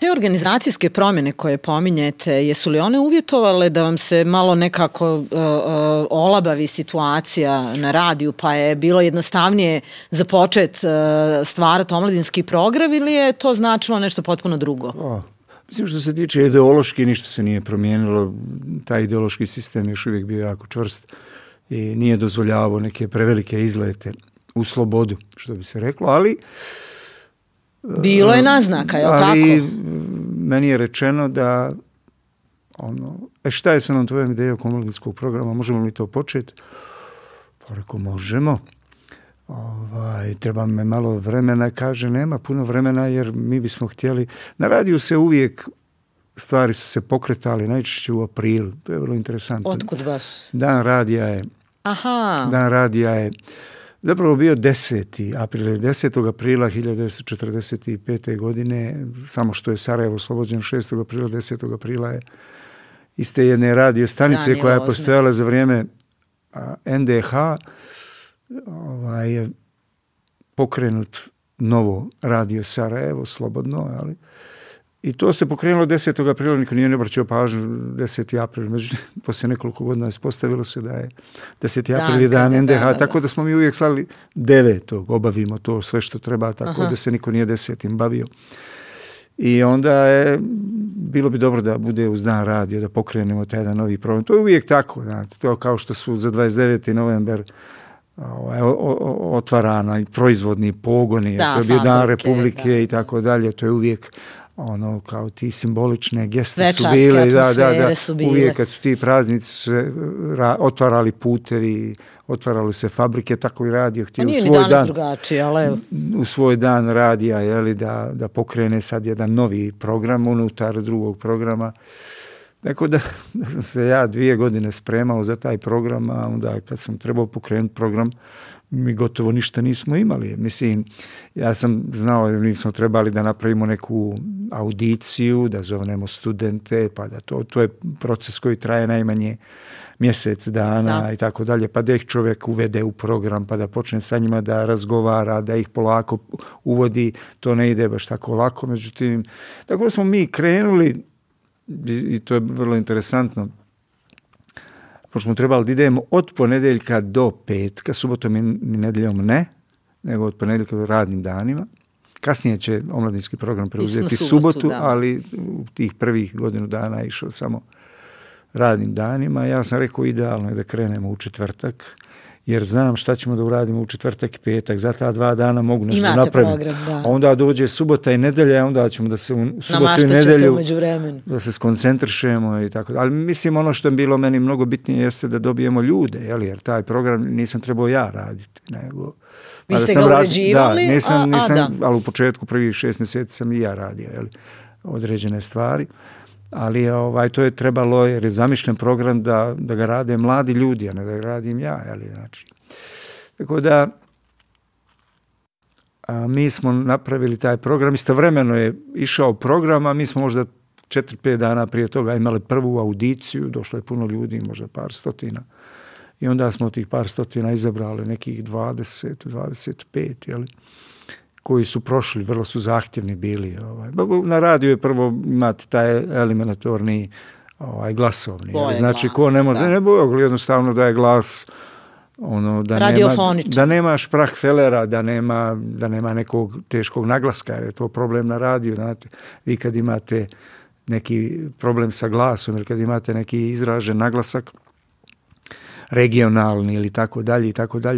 Te organizacijske promjene koje pominjete, jesu li one uvjetovale da vam se malo nekako olabavi situacija na radiju, pa je bilo jednostavnije započet stvarati omladinski program, ili je to značilo nešto potpuno drugo? Mislim, što se tiče ideološki, ništa se nije promijenilo. Taj ideološki sistem još uvijek bio jako čvrst i nije dozvoljavao neke prevelike izlete u slobodu, što bi se reklo, ali bilo je naznaka, je li tako? Ali meni je rečeno da šta je s onom tvojom idejom oko omladinskog programa, možemo li to početi? Pa rekao, možemo. Treba me malo vremena, kaže, nema puno vremena jer mi bismo htjeli. Na radiju se uvijek stvari su se pokretali, najčešće u aprilu. To je vrlo interesantno. Otkud baš? Dan radija je zapravo bio 10. april, 10. aprila 1945. godine, samo što je Sarajevo oslobođeno 6. aprila, 10. aprila je iz te jedne radio stanice koja je postojala za vrijeme NDH, je pokrenut novo radio Sarajevo, slobodno, ali i to se pokrenulo 10. aprila, niko nije ne obraćao pažnju 10. april, međutim, poslije nekoliko godina ispostavilo se da je 10. april je dan NDH, tako da smo mi uvijek slali 9. obavimo to sve što treba, tako da se niko nije 10. bavio. I onda je, bilo bi dobro da bude uz dan radio, da pokrenemo taj jedan novi program. To je uvijek tako, znate, to kao što su za 29. novembar otvarana i proizvodni pogoni, to je bio dan Republike i tako dalje, to je uvijek kao ti simbolične geste su bile, uvijek kad su ti praznici se otvarali putevi, otvarali se fabrike, tako i radio htio u svoj dan radija, da pokrene sad jedan novi program unutar drugog programa. Tako da sam se ja 2 godine spremao za taj program, a onda kad sam trebao pokrenuti program, mi gotovo ništa nismo imali. Mislim, ja sam znao da mi smo trebali da napravimo neku audiciju, da zovnemo studente, pa da to je proces koji traje najmanje mjesec dana i tako dalje, pa da ih čovjek uvede u program, pa da počne sa njima da razgovara, da ih polako uvodi, to ne ide baš tako lako. Međutim, tako da smo mi krenuli, i to je vrlo interesantno, pošto smo trebali da idemo od ponedjeljka do petka, subotom i nedjeljom ne, nego od ponedjeljka do radnim danima. Kasnije će omladinski program preuzeti subotu, ali u tih prvih godinu dana je išao samo radnim danima. Ja sam rekao, idealno je da krenemo u četvrtak, jer znam šta ćemo da uradimo u četvrtak i petak, za ta 2 dana mogu nešto napraviti. A onda dođe subota i nedelja, onda ćemo da se u subotu i nedelju da se skoncentrišemo i tako. Ali mislim, ono što je bilo meni mnogo bitnije jeste da dobijemo ljude, jer taj program nisam trebao ja raditi, nego vi ste ga uređivali? Nisam, ali u početku prvih 6 mjeseci sam i ja radio određene stvari. Ali to je trebalo, jer je zamišljen program da ga rade mladi ljudi, a ne da ga radim ja. Znači. Tako da mi smo napravili taj program, istovremeno je išao program, a mi smo možda 4-5 dana prije toga imali prvu audiciju, došlo je puno ljudi, možda par stotina. I onda smo od tih par stotina izabrali nekih 20-25, koji su prošli, vrlo su zahtjevni bili. Na radiju je prvo imati taj eliminatorni glasovni. Znači, ko ne može, jednostavno da je glas da nema šprahfelera, da nema nekog teškog naglaska, jer je to problem na radiju. Znate, vi kad imate neki problem sa glasom ili kad imate neki izražen naglasak, regionalni ili tako dalje,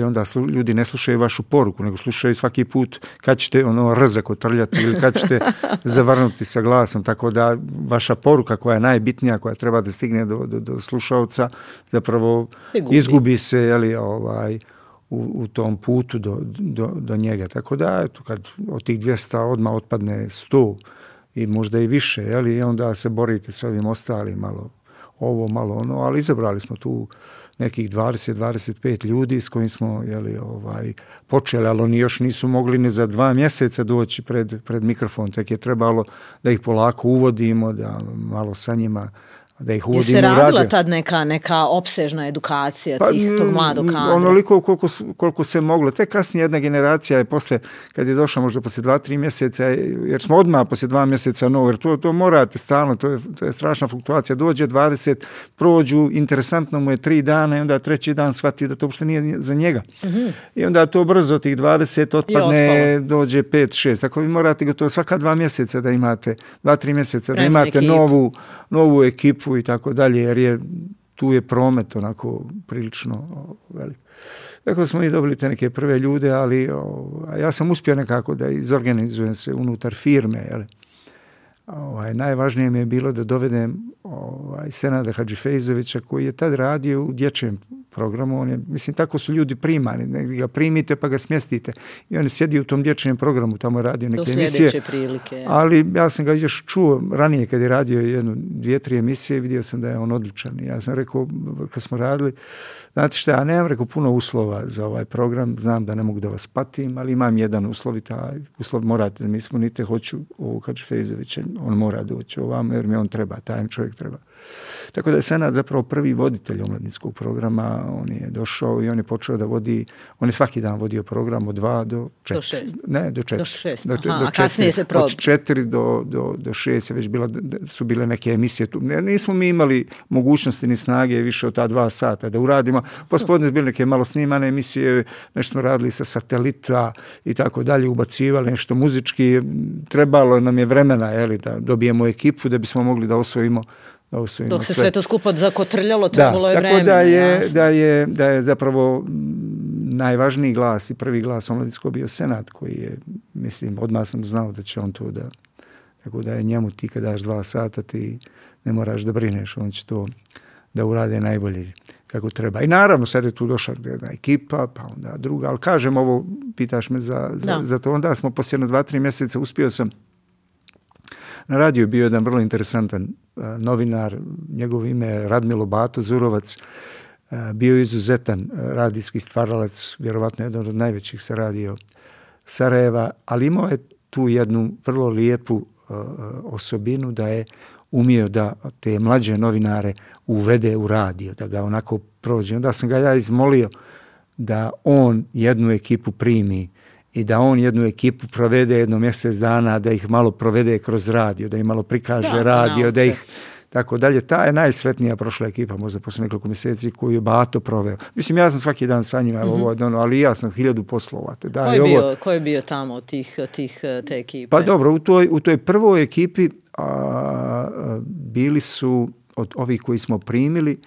onda ljudi ne slušaju vašu poruku, nego slušaju svaki put kad ćete rzak otrljati ili kad ćete zavrnuti sa glasom, tako da vaša poruka koja je najbitnija, koja treba da stigne do slušalca, zapravo izgubi se u tom putu do njega. Tako da, kad od tih 200 odmah otpadne 100 i možda i više, i onda se borite sa ovim ostalim, malo ovo, malo ono, ali izabrali smo tu nekih 20-25 ljudi s kojim smo počeli, ali oni još nisu mogli ni za 2 mjeseca doći pred mikrofon, tek je trebalo da ih polako uvodimo, da malo sa njima da ih uvodimo u radio. Je se radila tad neka opsežna edukacija tog mladog kadra? Onoliko koliko se moglo. Tek kasnije jedna generacija je posle, kad je došla možda posle 2-3 mjeseca, jer smo odmah posle 2 mjeseca novo, jer to morate stalno, to je strašna fluktuacija. Dođe 20, prođu, interesantno mu je 3 dana i onda 3. dan shvati da to uopšte nije za njega. Mm-hmm. I onda to brzo tih 20 otpadne, dođe 5-6. Tako vi morate gotovo svaka 2 mjeseca da imate, 2-3 mjeseca da imate novu ekipu i tako dalje, jer tu je promet onako prilično velik. Tako smo i dobili te neke prve ljude, ali ja sam uspio nekako da izorganizujem se unutar firme. Jel? Najvažnije mi je bilo da dovedem Senada Hadžifejzovića, koji je tad radio u dječjem programu. Mislim, tako su ljudi primani. Negdje ga primite pa ga smjestite. I on je sjedio u tom dječjem programu, tamo je radio neke emisije. Prilike. Ali ja sam ga još čuo ranije kad je radio 1-2-3 emisije, vidio sam da je on odličan. I ja sam rekao, kad smo radili, znate šta, ja nemam puno uslova za ovaj program, znam da ne mogu da vas patim, ali imam jedan uslov i taj uslov morate da mi ispunite, hoću ovog Hadžifejzovića, on mora doći ovamo jer mi on treba, taj čovjek treba. Tako da je Senad zapravo prvi voditelj omladinskog programa, on je došao i on je počeo da vodi, on je svaki dan vodio program od 2 do 4. Do 6. Ne, do 4. Do 6. Aha, a kasnije se od 4 do 6 je već su bile neke emisije. Nismo mi imali mogućnosti ni snage više od ta 2 sata da uradimo. Pospodne su bile neke malo snimane emisije, nešto radili sa satelita i tako dalje, ubacivali nešto muzički. Trebalo nam je vremena da dobijemo ekipu da bismo mogli da osvojimo dok se sve to skupo zakotrljalo, trebalo je vremena. Tako da je zapravo najvažniji glas i prvi glas omladinskog bio Senad, koji je, mislim, odmah sam znao da će on to da, tako da je njemu ti kad daš 2 sata ti ne moraš da brineš, on će to da urade najbolje kako treba. I naravno sad je tu došla jedna ekipa, pa onda druga, ali kažem ovo, pitaš me za to, onda smo poslije 2-3 mjeseca uspio sam. Na radiju je bio jedan vrlo interesantan novinar, njegovo ime je Radmilo Bato Zurovac, bio je izuzetan radijski stvaralac, vjerovatno jedan od najvećih sa radio Sarajeva, ali imao je tu jednu vrlo lijepu osobinu da je umio da te mlađe novinare uvede u radio, da ga onako prođe. Onda sam ga ja izmolio da on jednu ekipu primi i da on jednu ekipu provede 1 mjesec dana, da ih malo provede kroz radio, da im malo prikaže radio, da ih tako dalje. Ta je najsretnija prošla ekipa, možda posle nekoliko mjeseci, koju je Bato proveo. Mislim, ja sam svaki dan sa njima, ali ja sam 1000 poslova. Ko je bio tamo od te ekipe? Pa dobro, u toj prvoj ekipi bili su od ovih koji smo primili,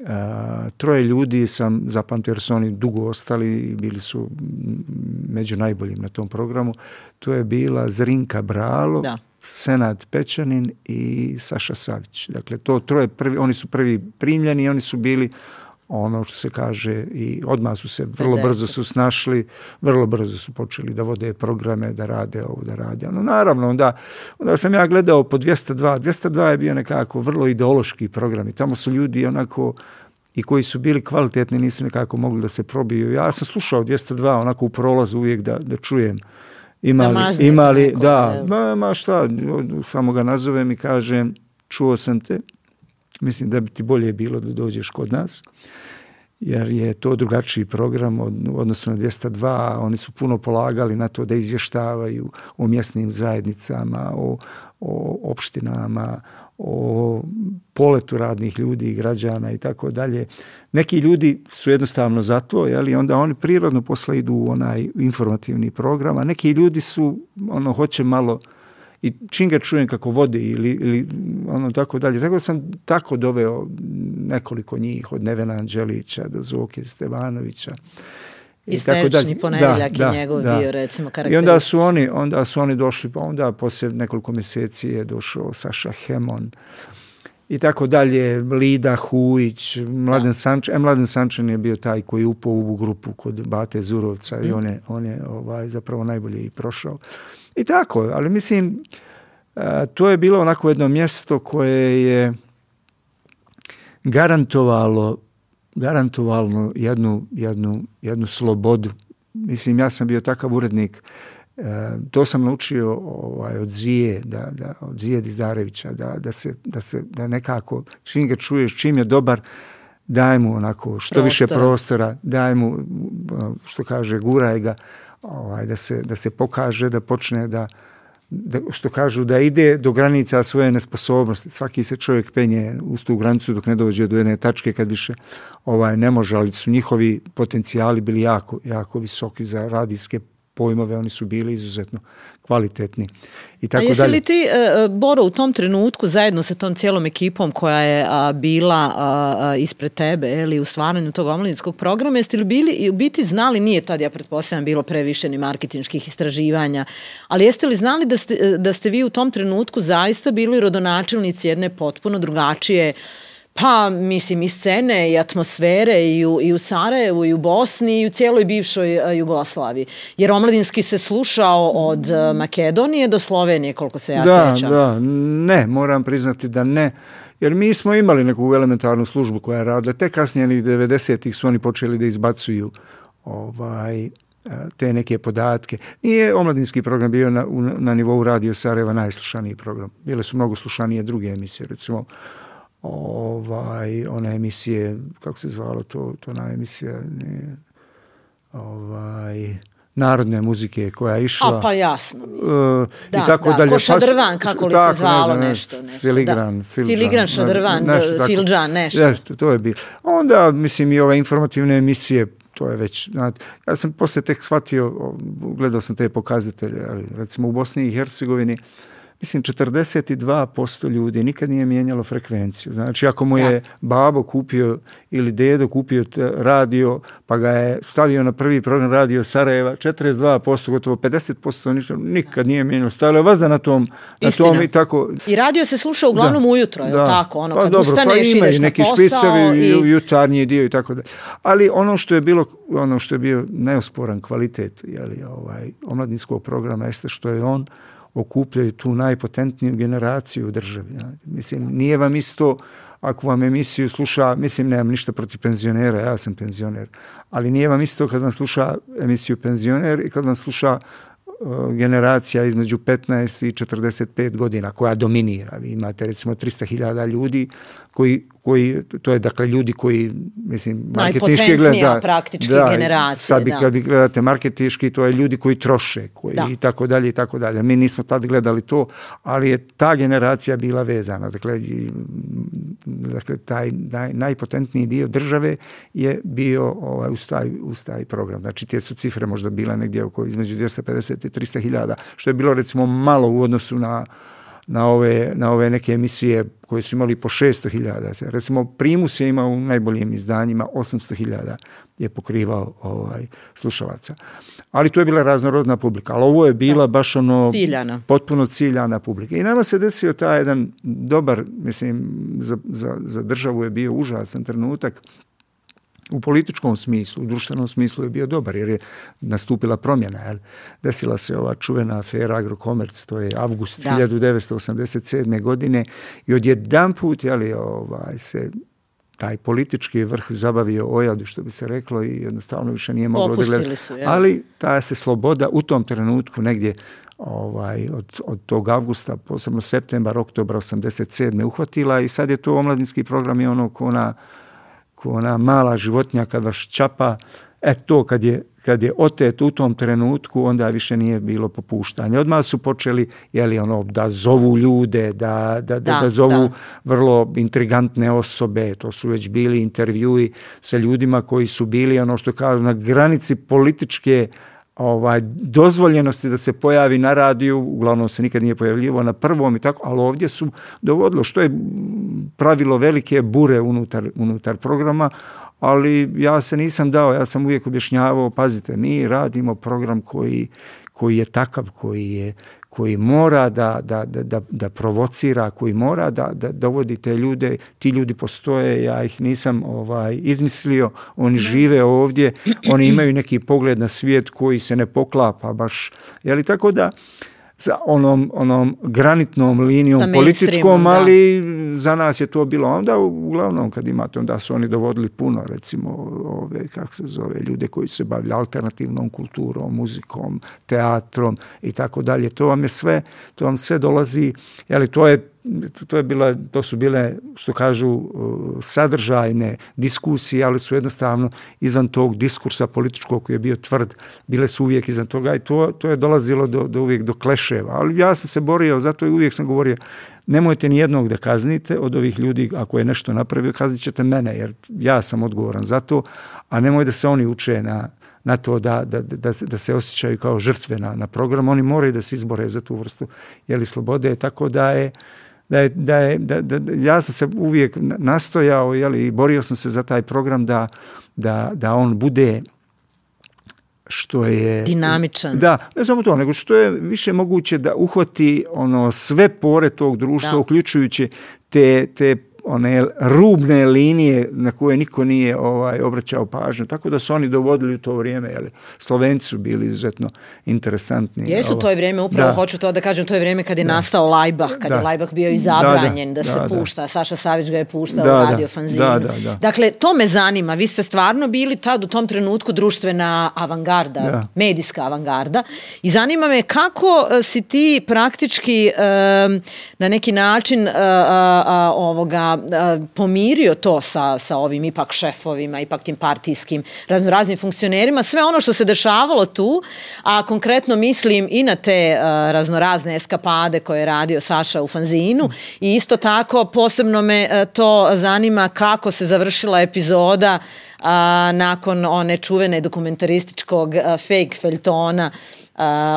3 ljudi sam zapamtio jer su oni dugo ostali i bili su među najboljim na tom programu. To je bila Zrinka Bralo, Senad Pečanin i Saša Savić. Dakle, to 3 prvi, oni su prvi primljeni i oni su bili ono što se kaže i odmah su se vrlo brzo su snašli, vrlo brzo su počeli da vode programe, da rade ovo, da rade ono. Naravno, onda sam ja gledao po 202. 202 je bio nekako vrlo ideološki program i tamo su ljudi onako i koji su bili kvalitetni, nisu nekako mogli da se probiju. Ja sam slušao 202 onako u prolazu uvijek da čujem imali šta, samo ga nazovem i kažem, čuo sam te, mislim da bi ti bolje bilo da dođeš kod nas, jer je to drugačiji program u odnosu na 202, oni su puno polagali na to da izvještavaju o mjesnim zajednicama, o opštinama, o poletu radnih ljudi i građana i tako dalje. Neki ljudi su jednostavno za to, i onda oni prirodno posle idu u onaj informativni program, a neki ljudi su, hoće malo i čim ga čujem kako vodi ili tako dalje. Tako sam tako doveo nekoliko njih, od Nevena Anđelića do Zoke Stevanovića. I Sterični ponedjeljak je njegov bio, recimo, karakterističan. I onda su oni došli, pa onda poslije nekoliko mjeseci je došao Saša Hemon i tako dalje, Lida Hujić, Mladen Sančin. Mladen Sančin je bio taj koji je upao u grupu kod Bate Zurovca i on je zapravo najbolje i prošao. I tako, ali mislim, to je bilo onako jedno mjesto koje je garantovalo jednu slobodu. Mislim, ja sam bio takav urednik To sam naučio od Zije, od Zije Dizdarevića, da nekako, čim ga čuješ, čim je dobar, daj mu onako što više prostora, daj mu, što kaže, guraj ga, da se pokaže, da počne što kažu, da ide do granica svoje nesposobnosti. Svaki se čovjek penje uz tu granicu dok ne dođe do jedne tačke kad više ne može, ali su njihovi potencijali bili jako, jako visoki za radijske pojmove, oni su bili izuzetno kvalitetni. A jesi li ti, Boro, u tom trenutku zajedno sa tom cijelom ekipom koja je bila ispred tebe u stvaranju tog omladinskog programa, jeste li bili i u biti znali, nije tad, ja pretpostavljam, bilo previše ni marketinških istraživanja, ali jeste li znali da ste vi u tom trenutku zaista bili rodonačelnici jedne potpuno drugačije, pa mislim i scene i atmosfere i u Sarajevu i u Bosni i u cijeloj bivšoj Jugoslaviji. Jer omladinski se slušao od Makedonije do Slovenije, koliko se ja sjećam. Da, ne, moram priznati da ne. Jer mi smo imali neku elementarnu službu koja je radila. Te kasnije 90-ih su oni počeli da izbacuju te neke podatke. Nije omladinski program bio na nivou Radio Sarajeva najslušaniji program. Bile su mnogo slušanije druge emisije, recimo one emisije, kako se zvalo to ona emisija, narodne muzike koja je išla. Pa jasno. I tako dalje. Ko Šadrvan, kako li se zvalo nešto. Filigran, Šadrvan, Filđan, nešto. To je bilo. Onda, mislim, i ove informativne emisije, to je već, znate, ja sam poslije tek shvatio, gledao sam te pokazatelje, ali recimo u Bosni i Hercegovini, mislim, 42% ljudi nikad nije mijenjalo frekvenciju. Znači, ako mu je babo kupio ili dedo kupio radio, pa ga je stavio na prvi program Radio Sarajeva, 42%, gotovo 50% nikad nije mijenjalo. Stavilo je vazda na tom i tako. I radio se sluša uglavnom ujutro, je li tako? Kad ustaneš, ideš na posao. Špicevi, jutarnji dio i tako da. Ali ono što je bio neosporan kvalitet omladinskog programa jeste što je on okupljaju tu najpotentniju generaciju u državi. Mislim, nije vam isto ako vam emisiju sluša, mislim, nemam ništa protiv penzionera, ja sam penzioner, ali nije vam isto kad vam sluša emisiju penzioner i kad vam sluša generacija između 15 i 45 godina koja dominira. Vi imate recimo 300.000 ljudi koji, to je dakle ljudi koji, mislim, najpotentnija praktički generacija. Sad kad vi gledate marketinški, to je ljudi koji troše, i tako dalje i tako dalje. Mi nismo tad gledali to, ali je ta generacija bila vezana. Dakle taj najpotentniji dio države je bio uz taj program. Znači, te su cifre možda bile negdje između 250 i 300.000, što je bilo recimo malo u odnosu na ove neke emisije koje su imali po 600.000. Recimo, Primus je imao u najboljim izdanjima 800.000 je pokrivao slušalaca. Ali to je bila raznorodna publika. Ali ovo je bila baš potpuno ciljana publika. I nama se desio taj jedan dobar, mislim, za državu je bio užasan trenutak. U političkom smislu, u društvenom smislu je bio dobar, jer je nastupila promjena. Desila se ova čuvena afera Agrokomerc, to je avgust 1987. godine i odjedanput se taj politički vrh zabavio ojadu, što bi se reklo, i jednostavno više nije moglo da gleda. Ali ta se sloboda u tom trenutku negdje od tog avgusta, posebno septembar, oktobra 87. uhvatila i sad je to omladinski program i ono ona mala životinja kad vas čapa, to kad je otet u tom trenutku, onda više nije bilo popuštanja. Odmah su počeli da zovu ljude, da zovu vrlo intrigantne osobe. To su već bili intervjui sa ljudima koji su bili, što kažu, na granici političke dozvoljenosti da se pojavi na radiju, uglavnom se nikad nije pojavljivo na prvom i tako, ali ovdje su dovodilo, što je pravilo velike bure unutar programa, ali ja se nisam dao, ja sam uvijek objašnjavao, pazite, mi radimo program koji je takav, koji mora da provocira, koji mora da dovodi te ljude, ti ljudi postoje, ja ih nisam izmislio, oni žive ovdje, oni imaju neki pogled na svijet koji se ne poklapa baš, tako da sa onom granitnom linijom političkom, ali za nas je to bilo onda, uglavnom kad imate, onda su oni dovodili puno, recimo, ljude koji se bavili alternativnom kulturom, muzikom, teatrom i tako dalje. To vam sve dolazi, jeli, to su bile, što kažu, sadržajne diskusije, ali su jednostavno izvan tog diskursa političkog koji je bio tvrd, bile su uvijek izvan toga i to je dolazilo uvijek do kleševa. Ali ja sam se borio, zato i uvijek sam govorio, nemojte ni jednog da kaznite od ovih ljudi, ako je nešto napravio, kaznit ćete mene, jer ja sam odgovoran za to, a nemoj da se oni uče na to da se osjećaju kao žrtve na program. Oni moraju da se izbore za tu vrstu slobode, tako da ja sam se uvijek nastojao i borio sam se za taj program da on bude što je dinamičan. Da, ne samo to, nego što je više moguće da uhvati sve pore tog društva, uključujući te one rubne linije na koje niko nije obraćao pažnju. Tako da su oni dovodili u to vrijeme. Slovenci su bili izuzetno interesantni. Jesu to je vrijeme, upravo hoću to da kažem, to je vrijeme kad je nastao Lajbah, kad je Lajbah bio i zabranjen da se pušta. Saša Savić ga je puštao u Radio Fanzinu. Dakle, to me zanima. Vi ste stvarno bili tad u tom trenutku društvena avangarda, medijska avangarda. I zanima me kako si ti praktički na neki način pomirio to sa ovim ipak šefovima, ipak tim partijskim raznim funkcionerima, sve ono što se dešavalo tu, a konkretno mislim i na te raznorazne eskapade koje je radio Saša u Fanzinu i isto tako posebno me to zanima kako se završila epizoda nakon one čuvene dokumentarističkog fake feljtona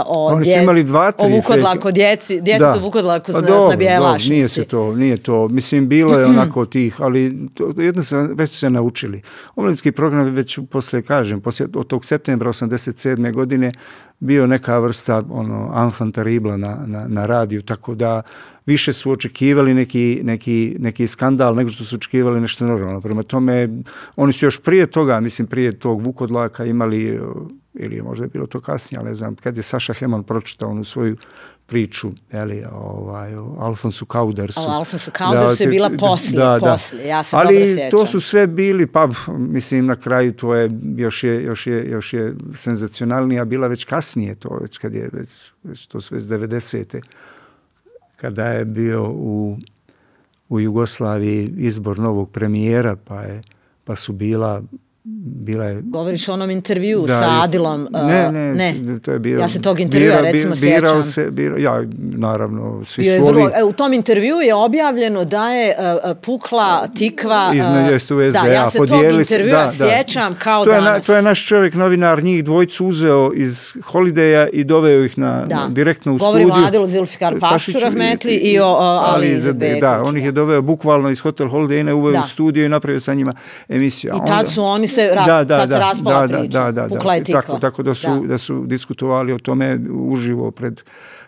oni su imali 2-3 Vukodlaku, djetetu Vukodlaku na Bijelašnici. Nije to. Mislim, bilo je onako tih, ali jedno već se naučili. Omladinski program je već poslije od tog septembra 1987. godine bio neka vrsta enfant terrible na radiju, tako da više su očekivali neki skandal nego što su očekivali nešto normalno. Prema tome, oni su još prije toga, mislim prije tog Vukodlaka imali, ili možda je bilo to kasnije, ali ne znam, kad je Saša Heman pročitao onu svoju priču, o Alfonsu Kaudersu. Alfonsu Kaudersu je bila poslije, ja se dobro sjećam. Ali to su sve bili, mislim na kraju to je još je senzacionalnija bila već kasnije, to već kad je već to sve iz 90. kada je bio u Jugoslaviji izbor novog premijera, pa su bila je... Govoriš o onom intervju sa Adilom? Ne, to je bio... Ja se tog intervjua recimo sjećam. Ja, naravno, svi su ovi... U tom intervju je objavljeno da je pukla tikva... Između u SDA. Da, ja se tog intervjua sjećam kao danas. To je naš čovjek, novinar, njih dvojicu uzeo iz Holideja i doveo ih direktno u studiju. Govorimo o Adilu Zilfikar Pašču Rahmetli i o Ali Izetbegoviću. Da, on ih je doveo bukvalno iz Hotel Holideja, uveo u studiju i napravio sa njima emisiju. I tad su oni se raspala priča, pukla je tikva. Tako da su diskutovali o tome uživo pred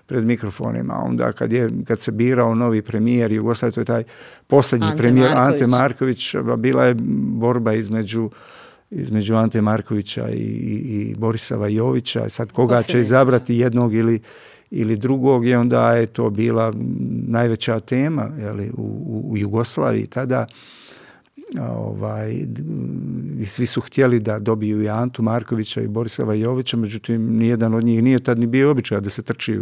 mikrofonima. Onda kad se birao novi premijer Jugoslavije, to je taj posljednji premijer Ante Marković, bila je borba između Ante Markovića i Borisava Jovića. Sad koga će izabrati, jednog ili drugog, i onda je to bila najveća tema u Jugoslaviji tada. I svi su htjeli da dobiju i Antu Markovića i Borisava Jovića, međutim nijedan od njih nije tad ni bio običaj da se trči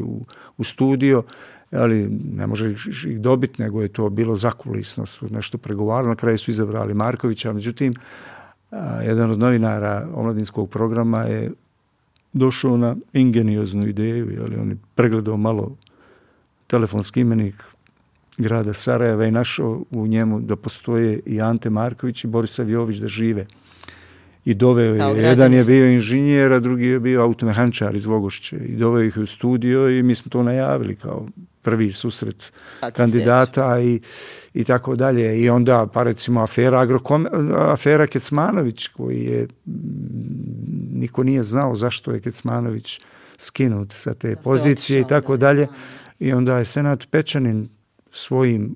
u studio, ali ne može ih dobiti, nego je to bilo zakulisno, su nešto pregovarali, na kraju su izabrali Markovića, međutim jedan od novinara omladinskog programa je došao na ingenioznu ideju, on je pregledao malo telefonski imenik grada Sarajeva i našao u njemu da postoje i Ante Marković i Borisav Jović da žive. I doveo je, jedan je bio inženjer, a drugi je bio automehančar iz Vogošće. I doveo ih u studio i mi smo to najavili kao prvi susret kandidata i tako dalje. I onda, pa recimo, afera Kecmanović, koji je, niko nije znao zašto je Kecmanović skinut sa te pozicije i tako dalje. I onda je Senat Pečanin svojim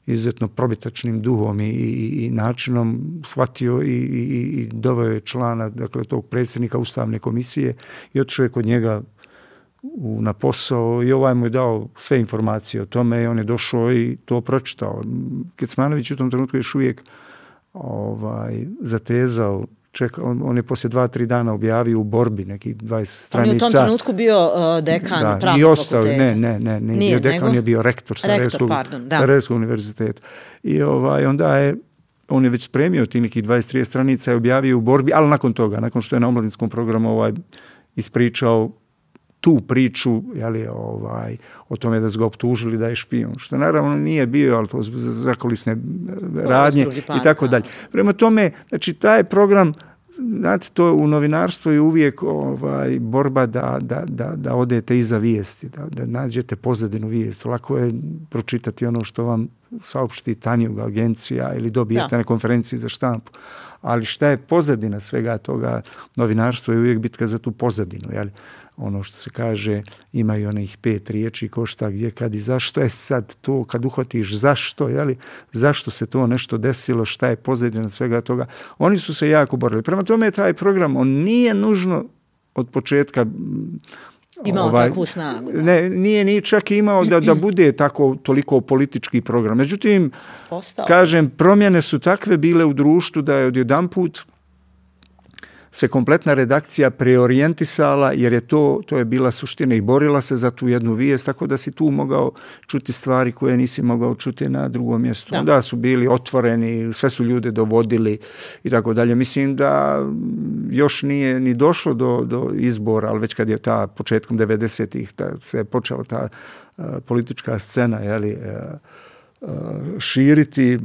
izuzetno probitačnim duhom i načinom shvatio i doveo je člana, dakle, tog predsjednika Ustavne komisije i otišao je kod njega na posao i ovaj mu je dao sve informacije o tome i on je došao i to pročitao. Kecmanović u tom trenutku još uvijek zatezao, on je poslije 2-3 dana objavio u Borbi nekih 20 stranica. On je u tom trenutku bio dekan pravnog i ostao, fakulteta. Ne, bio dekan, on je bio rektor Sarajevskog univerziteta. I onda on je već spremio ti nekih 23 stranica i objavio u Borbi, ali nakon što je na omladinskom programu ispričao tu priču, o tome da su ga optužili da je špijun, što naravno nije bio, ali to zakulisne radnje i tako dalje. Prema tome, znači taj program, znate, to u novinarstvu je uvijek borba da odete iza vijesti, da nađete pozadinu vijesti. Lako je pročitati ono što vam saopšti Tanjug agencija ili dobijete na konferenciji za štampu. Ali šta je pozadina svega toga? Novinarstvo je uvijek bitka za tu pozadinu, jel? Ono što se kaže, imaju onih 5 riječi ko šta, gdje, kad i zašto. Je sad to kad uhvatiš zašto, jeli, zašto se to nešto desilo, šta je pozadina svega toga. Oni su se jako borili. Prema tome taj program, on nije nužno od početka imao takvu snagu. Ne, nije ni čak imao da bude toliko politički program. Međutim, kažem, promjene su takve bile u društvu da je odjedanput se kompletna redakcija preorijentisala, jer je to je bila suština i borila se za tu jednu vijest, tako da si tu mogao čuti stvari koje nisi mogao čuti na drugom mjestu. Da. Onda su bili otvoreni, sve su ljude dovodili i tako dalje. Mislim da još nije ni došlo do izbora, ali već kad je početkom 90-ih se počela ta politička scena, širiti,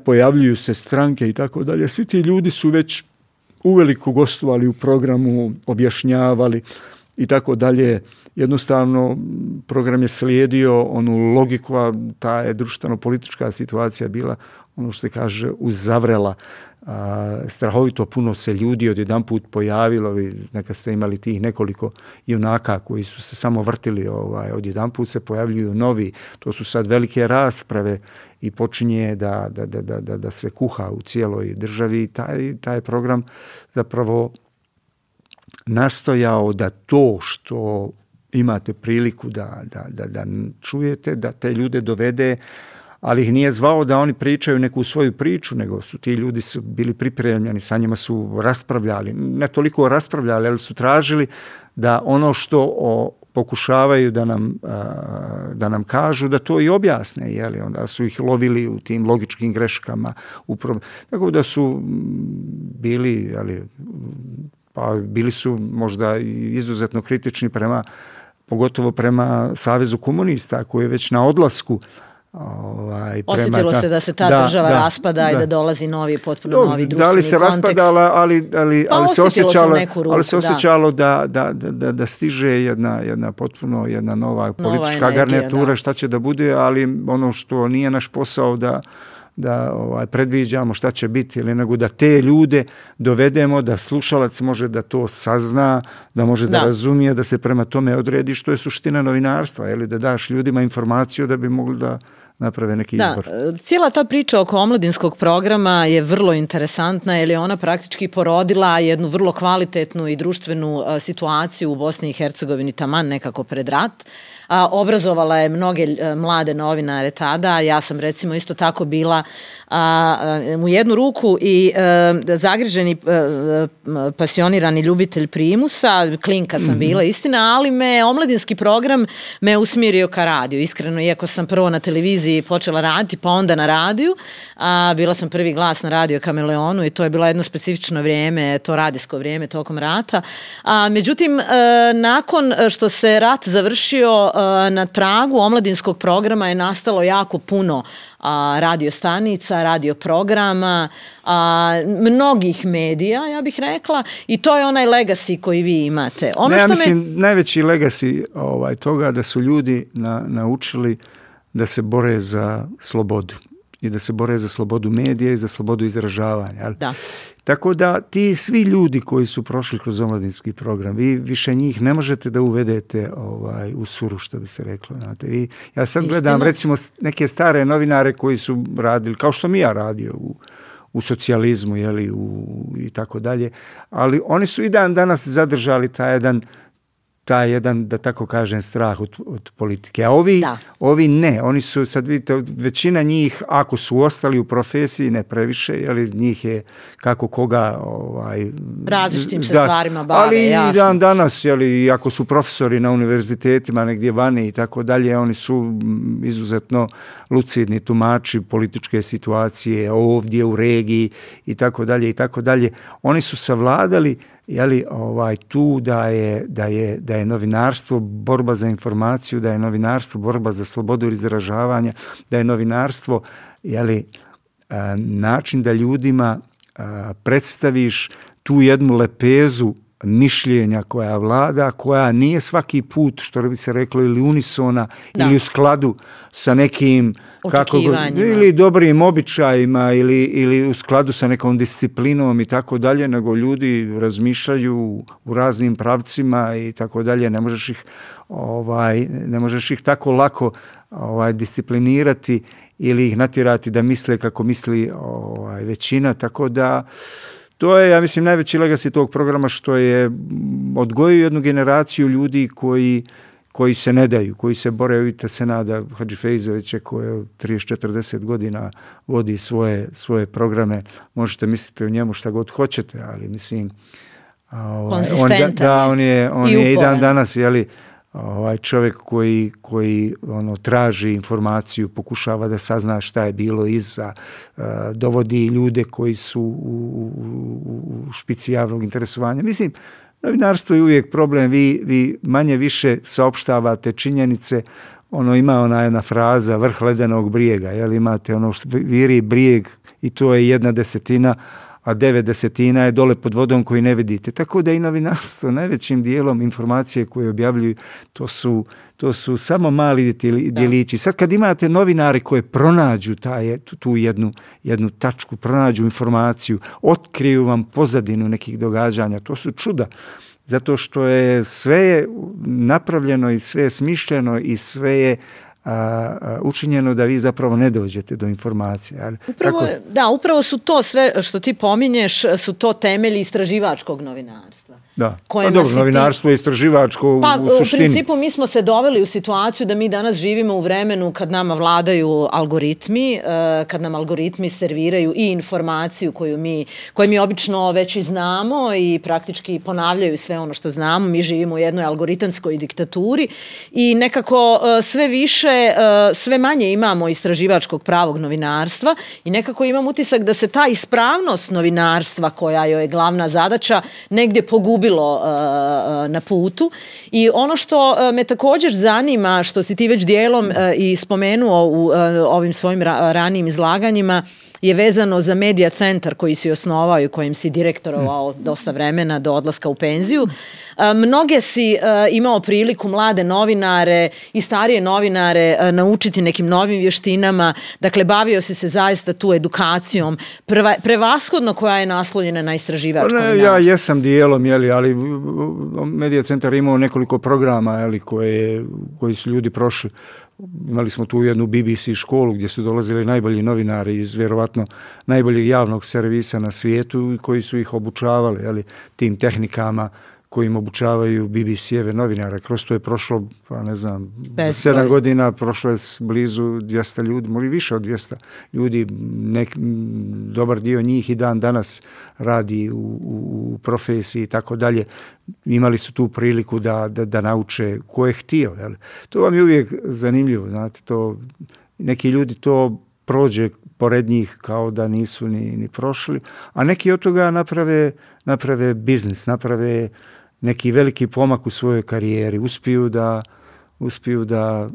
pojavljuju se stranke i tako dalje. Svi ti ljudi su već uveliko gostovali u programu, objašnjavali i tako dalje. Jednostavno, program je slijedio onu logiku, a ta je društveno-politička situacija bila, ono što se kaže, uzavrela. Strahovito puno se ljudi odjedanput pojavilo, neka ste imali tih nekoliko junaka koji su se samo vrtili, odjedanput se pojavljuju novi, to su sad velike rasprave i počinje da se kuha u cijeloj državi. Taj program zapravo nastojao da to što imate priliku da čujete, da te ljude dovede, ali ih nije zvao da oni pričaju neku svoju priču, nego su ti ljudi bili pripremljeni, sa njima su raspravljali, ne toliko raspravljali, ali su tražili da ono što pokušavaju da nam kažu, da to i objasne, onda su ih lovili u tim logičkim greškama. Tako da su bili, bili su možda izuzetno kritični pogotovo prema Savezu komunista, koji je već na odlasku. Osjetilo se da se ta država raspada i da dolazi potpuno novi društveni kontekst. Da li se raspadala, ali se osjećalo da stiže jedna potpuno jedna nova politička garnitura, šta će da bude, ali ono što nije naš posao da predviđamo šta će biti, nego da te ljude dovedemo, da slušalac može da to sazna, da može da razumije, da se prema tome odredi, što je suština novinarstva, da daš ljudima informaciju da bi mogli da naprave neki izbor. Cijela ta priča oko omladinskog programa je vrlo interesantna, jer je ona praktički porodila jednu vrlo kvalitetnu i društvenu situaciju u Bosni i Hercegovini taman nekako pred rat. Obrazovala je mnoge mlade novinare tada. Ja sam recimo isto tako bila u jednu ruku i zagriženi pasionirani ljubitelj primusa, klinka sam bila, istina, ali omladinski program me usmjerio ka radiju. Iskreno, iako sam prvo na televiziji počela raditi, pa onda na radiju. Bila sam prvi glas na Radio Kameleonu i to je bilo jedno specifično vrijeme, to radijsko vrijeme tokom rata. Međutim, nakon što se rat završio, na tragu omladinskog programa je nastalo jako puno radio stanica, radio programa, mnogih medija, ja bih rekla, i to je onaj legacy koji vi imate. Najveći legacy toga da su ljudi naučili da se bore za slobodu i da se bore za slobodu medija i za slobodu izražavanja. Da. Tako da ti svi ljudi koji su prošli kroz omladinski program, vi više njih ne možete da uvedete u suru, što bi se reklo. Znate. I ja sad gledam recimo neke stare novinare koji su radili, kao što mi ja radio u socijalizmu i tako dalje, ali oni su i dan danas zadržali taj jedan taj jedan, da tako kažem, strah od politike. A ovi ne, oni su, sad vidite, većina njih, ako su ostali u profesiji, ne previše, jer njih je kako koga... različitim se stvarima bave, ali jasno. Ali danas, ako su profesori na univerzitetima, negdje vani i tako dalje, oni su izuzetno lucidni tumači političke situacije ovdje u regiji i tako dalje i tako dalje. Oni su savladali tu da je novinarstvo borba za informaciju, da je novinarstvo borba za slobodu izražavanja, da je novinarstvo način da ljudima predstaviš tu jednu lepezu mišljenja koja vlada, koja nije svaki put, što bi se reklo, ili unisona, ili u skladu sa nekim ili dobrim običajima, ili u skladu sa nekom disciplinom i tako dalje, nego ljudi razmišljaju u raznim pravcima i tako dalje. Ne možeš ih tako lako disciplinirati ili ih natjerati da misle kako misli većina, tako da to je, ja mislim, najveći legacy tog programa, što je odgojio jednu generaciju ljudi koji se ne daju, koji se bore. Vidite Senada Hadžifejzovića koji 30-40 godina vodi svoje programe. Možete misliti o njemu šta god hoćete, ali mislim on je i dan danas čovjek koji traži informaciju, pokušava da sazna šta je bilo iza, dovodi ljude koji su u špici javnog interesovanja. Mislim, novinarstvo je uvijek problem, vi manje više saopštavate činjenice, ima ona jedna fraza, vrh ledenog brijega, imate što viri brijeg i to je 1/10, a 9/10 je dole pod vodom koji ne vidite. Tako da i novinarstvo najvećim dijelom informacije koje objavljuju, to su samo mali djelići. Sad kad imate novinare koje pronađu tu jednu tačku, pronađu informaciju, otkriju vam pozadinu nekih događanja, to su čuda. Zato što je sve napravljeno i sve je smišljeno i sve je učinjeno da vi zapravo ne dođete do informacije. Upravo su to sve što ti pominješ, su to temelji istraživačkog novinarstva. Da, novinarstvo je istraživačko u suštini. U principu mi smo se doveli u situaciju da mi danas živimo u vremenu kad nama vladaju algoritmi, kad nam algoritmi serviraju i informaciju koju mi obično već i znamo i praktički ponavljaju sve ono što znamo. Mi živimo u jednoj algoritamskoj diktaturi i nekako sve manje imamo istraživačkog pravog novinarstva i nekako imam utisak da se ta ispravnost novinarstva, koja joj je glavna zadaća, negdje pogubilo na putu. I ono što me također zanima, što si ti već dijelom i spomenuo u ovim svojim ranijim izlaganjima, je vezano za Medija centar koji si osnovao i kojim si direktorovao dosta vremena do odlaska u penziju. Mnoge si imao priliku mlade novinare i starije novinare naučiti nekim novim vještinama. Dakle, bavio si se zaista tu edukacijom, prevashodno koja je naslonjena na istraživačko novinarstvo. Ja jesam dijelom, ali Medija centar imao nekoliko programa koji su ljudi prošli. Imali smo tu jednu BBC školu gdje su dolazili najbolji novinari iz vjerovatno najboljeg javnog servisa na svijetu koji su ih obučavali tim tehnikama kojim obučavaju BBC-eve novinare. Kroz to je prošlo, za 7 godina prošlo je blizu 200 ljudi, možda više od 200 ljudi. Dobar dio njih i dan danas radi u profesiji i tako dalje. Imali su tu priliku da nauče ko je htio. To vam je uvijek zanimljivo. Znate, neki ljudi to prođe pored njih kao da nisu ni prošli, a neki od toga naprave biznis, naprave neki veliki pomak u svojoj karijeri, uspiju da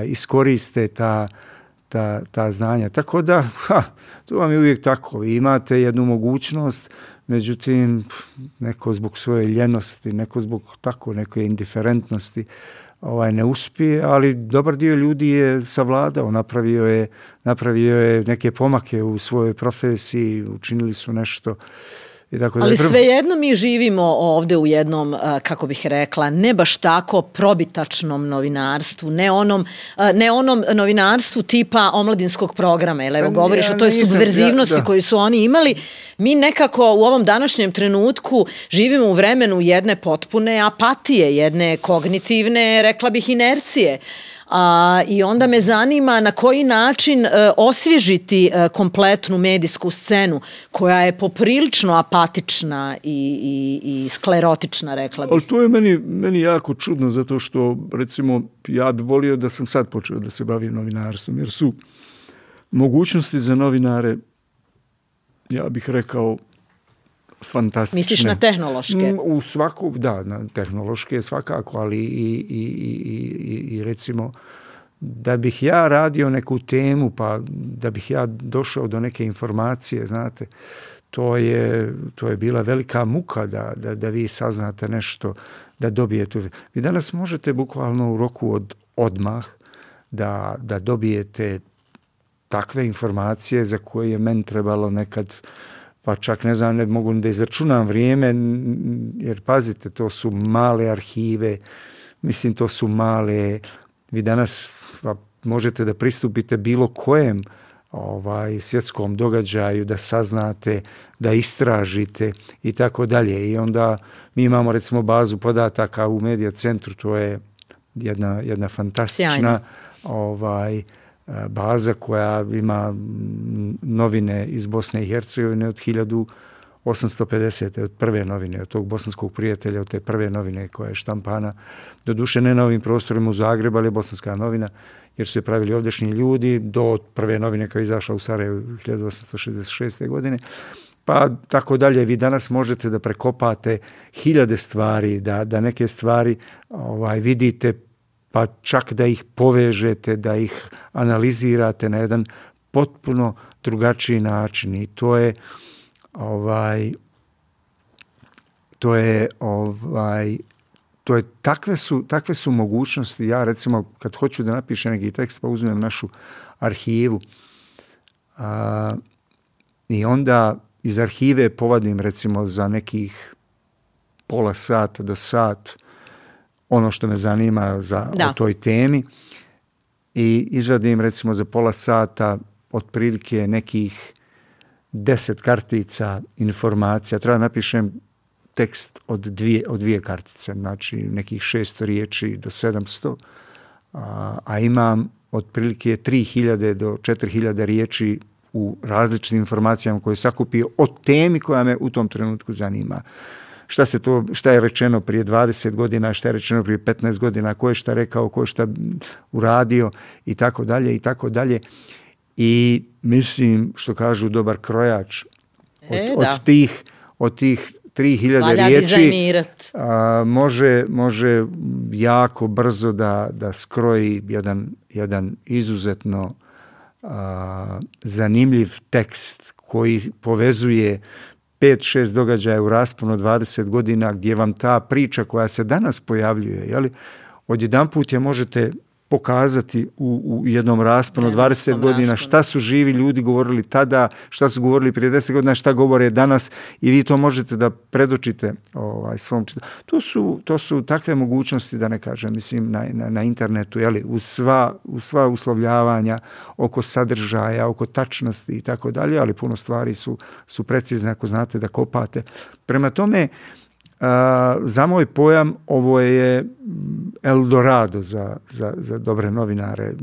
iskoriste ta znanja. Tako da, to vam je uvijek tako. Vi imate jednu mogućnost, međutim, neko zbog svoje ljenosti, neko zbog neke indiferentnosti ne uspije, ali dobar dio ljudi je savladao, napravio je neke pomake u svojoj profesiji, učinili su nešto Ali svejedno mi živimo ovde u jednom, kako bih rekla, ne baš tako probitačnom novinarstvu, ne onom novinarstvu tipa omladinskog programa, jer evo govoriš o toj subverzivnosti koju su oni imali. Mi nekako u ovom današnjem trenutku živimo u vremenu jedne potpune apatije, jedne kognitivne, rekla bih, inercije. I onda me zanima na koji način osvježiti kompletnu medijsku scenu koja je poprilično apatična i sklerotična, rekla bih. Ali to je meni jako čudno, zato što, recimo, ja bih volio da sam sad počeo da se bavim novinarstvom, jer su mogućnosti za novinare, ja bih rekao, fantastične. Misliš na tehnološke? U svaku, da, na tehnološke svakako, ali i recimo da bih ja radio neku temu, pa da bih ja došao do neke informacije, znate, to je bila velika muka da vi saznate nešto, da dobijete. Vi danas možete bukvalno u roku od odmah da dobijete takve informacije za koje je meni trebalo nekad, pa čak ne znam, ne mogu da izračunam vrijeme, jer pazite, to su male arhive, mislim, to su male, vi danas možete da pristupite bilo kojem svjetskom događaju, da saznate, da istražite i tako dalje. I onda mi imamo, recimo, bazu podataka u Medija centru, to je jedna fantastična baza koja ima novine iz Bosne i Hercegovine od 1850. od prve novine, od tog bosanskog prijatelja, od te prve novine koja je štampana. Doduše ne na ovim prostorima u Zagrebu, ali je bosanska novina, jer su je pravili ovdješnji ljudi do prve novine koja je izašla u Sarajevu 1866. godine. Pa tako dalje, vi danas možete da prekopate hiljade stvari, da neke stvari vidite, pa čak da ih povežete, da ih analizirate na jedan potpuno drugačiji način. I takve su mogućnosti. Ja, recimo, kad hoću da napišem neki tekst, pa uzmem našu arhivu i onda iz arhive povadim, recimo, za nekih pola sata do sat ono što me zanima o toj temi i izvadim, recimo, za pola sata otprilike nekih 10 kartica informacija. Treba napišem tekst od dvije kartice, znači nekih 600 riječi do 700, a imam otprilike 3000 do 4000 riječi u različitim informacijama koje sakupio o temi koja me u tom trenutku zanima. Šta je rečeno prije 20 godina, šta je rečeno prije 15 godina, ko je šta rekao, ko je šta uradio i tako dalje i tako dalje. I mislim, što kažu dobar krojač, od tih 3000 riječi može jako brzo da skroji jedan izuzetno zanimljiv tekst koji povezuje 5-6 događaja u rasponu 20 godina gdje vam ta priča koja se danas pojavljuje, odjedanput je možete pokazati u jednom rasponu 20 godina šta su živi ljudi govorili tada, šta su govorili prije 10 godina, šta govore danas i vi to možete da predočite svom čitalu. To su takve mogućnosti, da ne kažem, mislim, na internetu, uz sva uslovljavanja oko sadržaja, oko tačnosti i tako dalje, ali puno stvari su precizne ako znate da kopate. Prema tome, za moj pojam ovo je Eldorado za dobre novinare,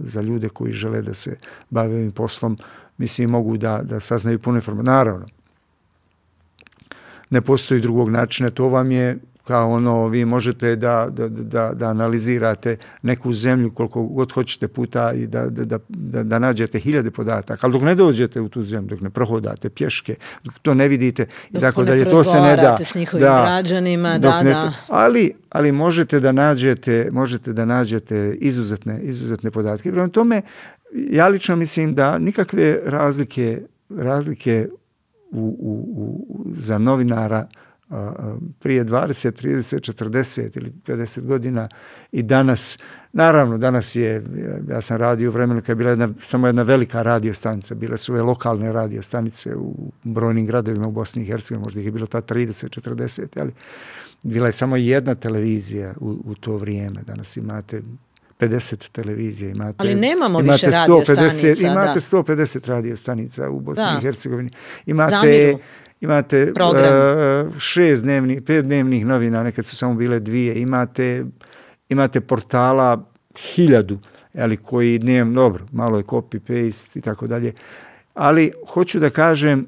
za ljude koji žele da se bave ovim poslom. Mislim, mogu da saznaju puno informacije. Naravno, ne postoji drugog načina. To vam je kao vi možete da analizirate neku zemlju koliko god hoćete puta i da nađete hiljade podataka, ali dok ne dođete u tu zemlju, dok ne prohodate pješke, dok to ne vidite i tako dalje, to se ne da. S njihovim građanima, ali možete da nađete izuzetne podatke. Prema tome, ja lično mislim da nikakve razlike za novinara prije 20, 30, 40 ili 50 godina i danas, naravno danas je, ja sam radio u vremenu kad je bila samo jedna velika radiostanica, bile su ove lokalne radiostanice u brojnim gradovima u Bosni i Hercegovini, možda ih je bilo ta 30, 40, ali bila je samo jedna televizija u to vrijeme, danas imate 50 televizija, ali nemamo više radiostanica. Imate 150 radiostanica u Bosni i Hercegovini. Imate 5 dnevnih novina, nekad su samo bile 2. Imate portala 1000, ali koji dnevno, dobro, malo je copy-paste i tako dalje. Ali hoću da kažem,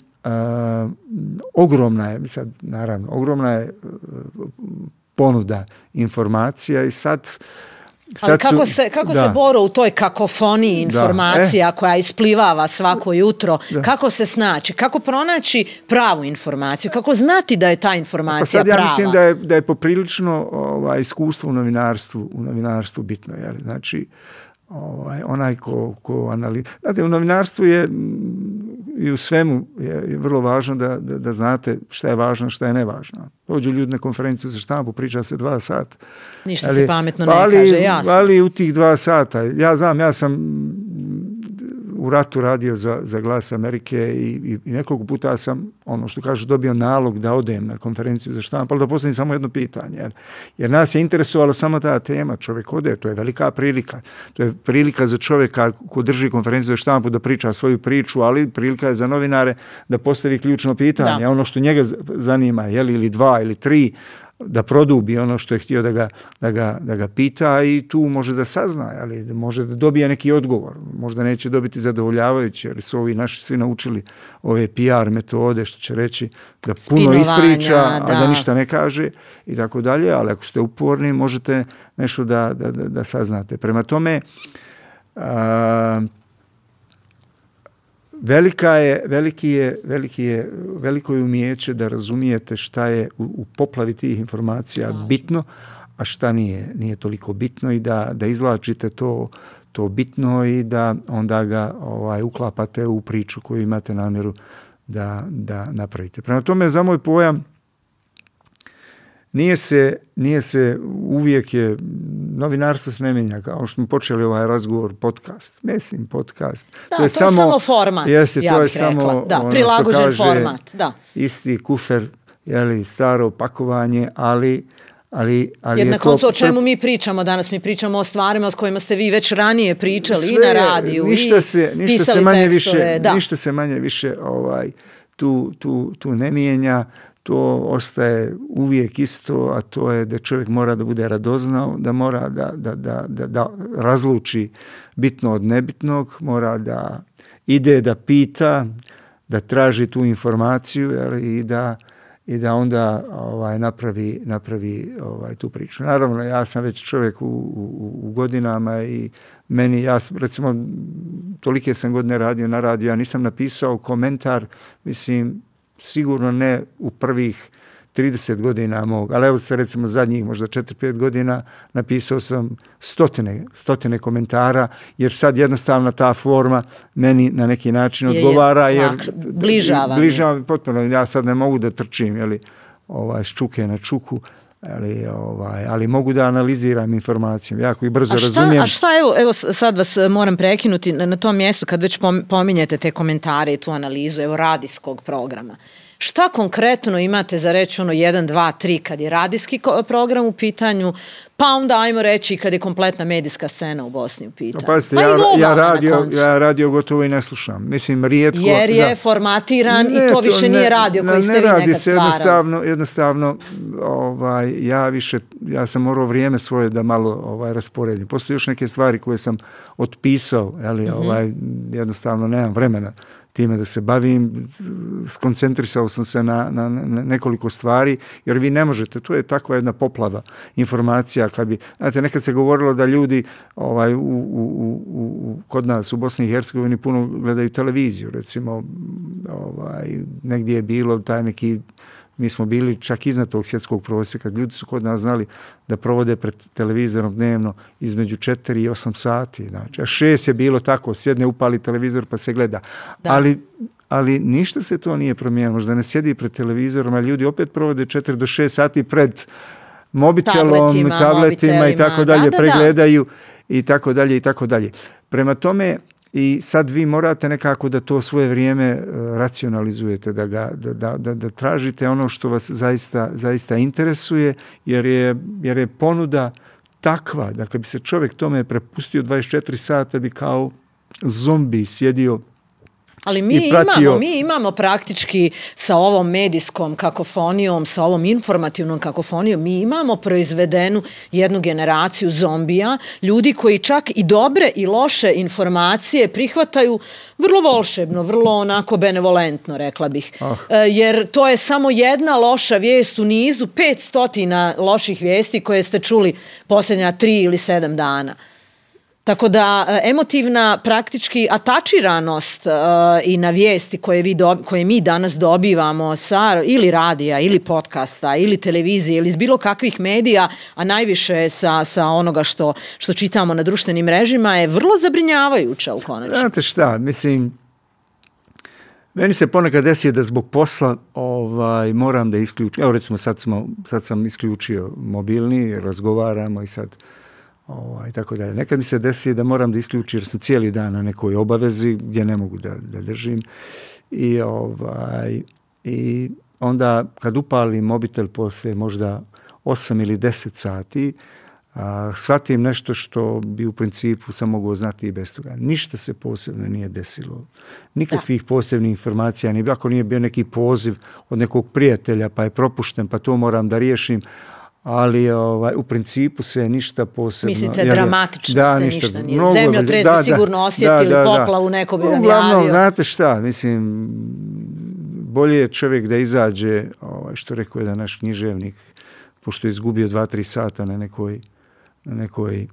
ogromna je ponuda informacija i sad ali kako se boro u toj kakofoniji informacija koja isplivava svako jutro, kako se snaći, kako pronaći pravu informaciju, kako znati da je ta informacija prava? Pa sad ja mislim da je poprilično iskustvo u novinarstvu bitno. Znači, onaj ko analizira. Znate, u novinarstvu je i u svemu je vrlo važno da znate šta je važno, šta je nevažno. Dođu ljudi na konferenciju za štampu, priča se 2 sata. Ništa se pametno ne kaže, jasno. Ali u tih 2 sata, ja sam u ratu radio za Glas Amerike i nekoliko puta sam, ono što kažu, dobio nalog da odem na konferenciju za štampu, ali da postavim samo jedno pitanje. Jer nas je interesovalo samo ta tema. Čovjek ode, to je velika prilika. To je prilika za čovjeka ko drži konferenciju za štampu da priča svoju priču, ali prilika je za novinare da postavi ključno pitanje. Ono što njega zanima, ili 2 ili 3, da produbi ono što je htio da ga pita i tu može da sazna, ali može da dobije neki odgovor. Možda neće dobiti zadovoljavajući, jer su ovi naši svi naučili ove PR metode, što će reći da puno ispriča, a da ništa ne kaže i tako dalje, ali ako ste uporni možete nešto da saznate. Prema tome, veliko je umijeće da razumijete šta je u poplavi tih informacija bitno, a šta nije toliko bitno i da izvlačite to bitno i da onda ga uklapate u priču koju imate namjeru da napravite. Prema tome, za moj pojam, nije se uvijek je, novinarstvo se ne mijenja, kao što smo počeli ovaj razgovor, podcast. Mislim, podcast. Da, to je samo format, ja bih rekla. Da, prilagođen format, da. Isti kufer, staro pakovanje, ali jer na koncu o čemu mi pričamo danas? Mi pričamo o stvarima s kojima ste vi već ranije pričali i na radiju i pisali tekstove. Ništa se manje više tu ne mijenja. To ostaje uvijek isto, a to je da čovjek mora da bude radoznao, da mora da razluči bitno od nebitnog, mora da ide da pita, da traži tu informaciju i da onda napravi tu priču. Naravno, ja sam već čovjek u godinama i recimo, tolike sam godine radio na radiju, ja nisam napisao komentar, mislim, sigurno ne u prvih 30 godina mog, ali evo se recimo zadnjih možda 4-5 godina napisao sam stotine komentara, jer sad jednostavno ta forma meni na neki način odgovara, jer bližava mi potpuno. Ja sad ne mogu da trčim s čuke na čuku, ali mogu da analiziram informacije, jako i brzo razumijem. A šta, evo sad vas moram prekinuti na tom mjestu kad već pominjete te komentare i tu analizu, radijskog programa. Šta konkretno imate za reći 1, 2, 3 kad je radijski program u pitanju, pa onda ajmo reći kad je kompletna medijska scena u Bosni u pitanju? Pazite, ja radio gotovo i ne slušam. Mislim, rijetko. Jer je formatiran i to više nije radio koji ste vi nekad stvarali. Jednostavno, ja sam morao vrijeme svoje da malo rasporedim. Postoje još neke stvari koje sam otpisao, jednostavno nemam vremena time da se bavim, skoncentrisao sam se na nekoliko stvari, jer vi ne možete, tu je takva jedna poplava informacija, znate, nekad se govorilo da ljudi kod nas u Bosni i Hercegovini puno gledaju televiziju, recimo, negdje je bilo taj neki, mi smo bili čak iznad tog svjetskog prosjeka, ljudi su kod nas znali da provode pred televizorom dnevno između 4 i 8 sati. Znači, a 6 je bilo tako, sjedne, upali televizor pa se gleda. ali ništa se to nije promijenilo. Možda ne sjedi pred televizorom, ali ljudi opet provode 4 do 6 sati pred mobitelom, tabletima i tako dalje, pregledaju i tako dalje i tako dalje. Prema tome, i sad vi morate nekako da to svoje vrijeme racionalizujete, da tražite ono što vas zaista interesuje, jer je ponuda takva da kad bi se čovjek tome prepustio 24 sata bi kao zombi sjedio. Ali mi imamo praktički sa ovom medijskom kakofonijom, sa ovom informativnom kakofonijom, mi imamo proizvedenu jednu generaciju zombija, ljudi koji čak i dobre i loše informacije prihvataju vrlo volšebno, vrlo onako benevolentno, rekla bih. Jer to je samo jedna loša vijest u nizu 500 loših vijesti koje ste čuli posljednja 3 ili 7 dana. Tako da emotivna praktički atačiranost i na vijesti koje mi danas dobivamo sa ili radija ili podcasta ili televizije ili iz bilo kakvih medija, a najviše sa onoga što čitamo na društvenim mrežima je vrlo zabrinjavajuća u konačnici. Znate šta, mislim, meni se ponekad desi da zbog posla moram da isključim. Evo recimo sad sam isključio mobilni, razgovaramo i sad tako dalje. Nekad mi se desi da moram da isključim jer sam cijeli dan na nekoj obavezi gdje ne mogu da držim i onda kad upalim mobitel poslije možda 8 ili 10 sati shvatim nešto što bi u principu sam mogao znati i bez toga. Ništa se posebno nije desilo. Nikakvih posebnih informacija, ni ako nije bio neki poziv od nekog prijatelja pa je propušten pa to moram da riješim. Ali u principu se ništa posebno... Mislite, dramatično se ništa nije. Zemljotres bi sigurno osjetili, poplavu neko bi vam javio. Uglavnom, znate šta, mislim, bolje je čovjek da izađe, što rekao je da naš književnik, pošto je izgubio 2-3 sata na nekoj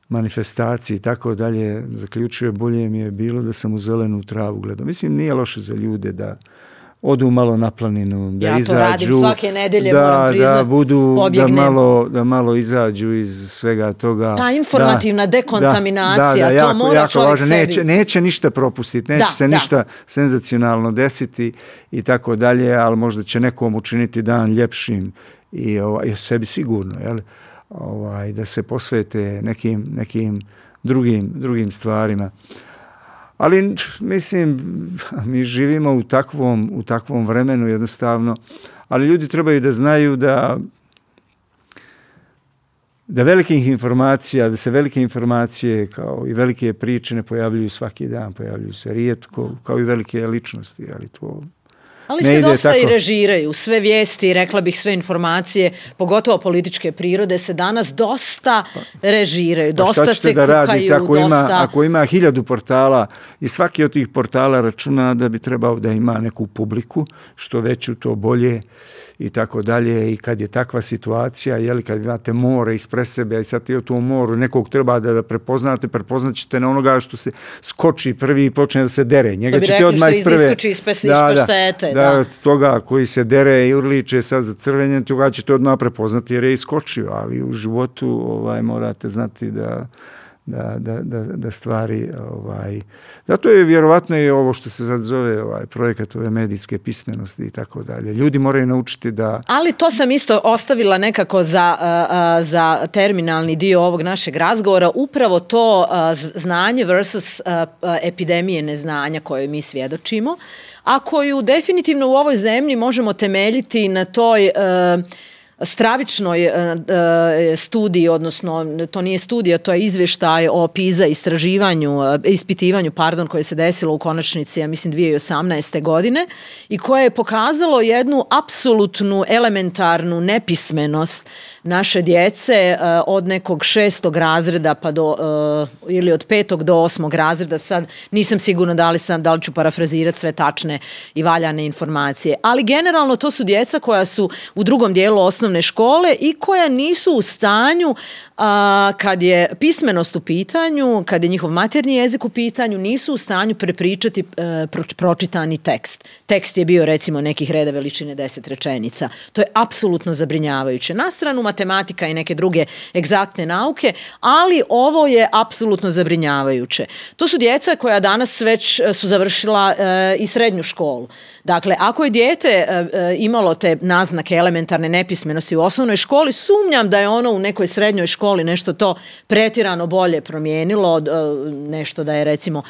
manifestaciji i tako dalje, zaključuje, bolje mi je bilo da sam u zelenu travu gledao. Mislim, nije loše za ljude da odu malo na planinu, da izađu. Ja to radim svake nedelje, moram priznat, pobjegnem. Da malo izađu iz svega toga. Ta informativna dekontaminacija, to mora čovjek sebi. Neće ništa propustiti, neće se ništa senzacionalno desiti i tako dalje, ali možda će nekom učiniti dan ljepšim i sebi sigurno, jel? Da se posvete nekim drugim stvarima. Ali, mislim, mi živimo u takvom vremenu jednostavno, ali ljudi trebaju da znaju da velikih informacija, da se velike informacije kao i velike priče ne pojavljuju svaki dan, pojavljuju se rijetko, kao i velike ličnosti, ali to... Ali se dosta i režiraju. Sve vijesti, rekla bih sve informacije, pogotovo političke prirode, se danas dosta režiraju. Dosta se kuhaju. Ako ima 1000 portala i svaki od tih portala računa da bi trebao da ima neku publiku, što veću to bolje i tako dalje. I kad je takva situacija, kad imate more ispred sebe, i sad u tom moru nekog treba da prepoznate, prepoznat ćete na onoga što se skoči prvi i počne da se dere. Njega to bi rekli što iskoči iz paštete. Da, toga koji se dere i urliče sad za crvenje, toga ćete odmah prepoznati jer je iskočio, ali u životu morate znati da stvari zato je vjerovatno i ovo što se sad zove projekat ove medijske pismenosti i tako dalje. Ljudi moraju naučiti da... Ali to sam isto ostavila nekako za terminalni dio ovog našeg razgovora, upravo to znanje versus epidemije neznanja koje mi svjedočimo, a koju definitivno u ovoj zemlji možemo temeljiti na toj stravičnoj studiji, odnosno to nije studija, to je izvještaj o PISA ispitivanju koje se desilo u konačnici, ja mislim 2018. godine i koje je pokazalo jednu apsolutnu elementarnu nepismenost naše djece od nekog 6. razreda pa ili od 5. do 8. razreda, sad nisam sigurna da li ću parafrazirati sve tačne i valjane informacije, ali generalno to su djeca koja su u drugom dijelu osnovne osnovne škole i koja nisu u stanju, kad je pismenost u pitanju, kad je njihov maternji jezik u pitanju, nisu u stanju prepričati pročitani tekst. Tekst je bio recimo nekih reda veličine 10 rečenica. To je apsolutno zabrinjavajuće. Na stranu matematika i neke druge egzaktne nauke, ali ovo je apsolutno zabrinjavajuće. To su djeca koja danas već su završila i srednju školu. Dakle, ako je dijete imalo te naznake elementarne nepismenosti u osnovnoj školi, sumnjam da je ono u nekoj srednjoj školi nešto to pretjerano bolje promijenilo, nešto da je recimo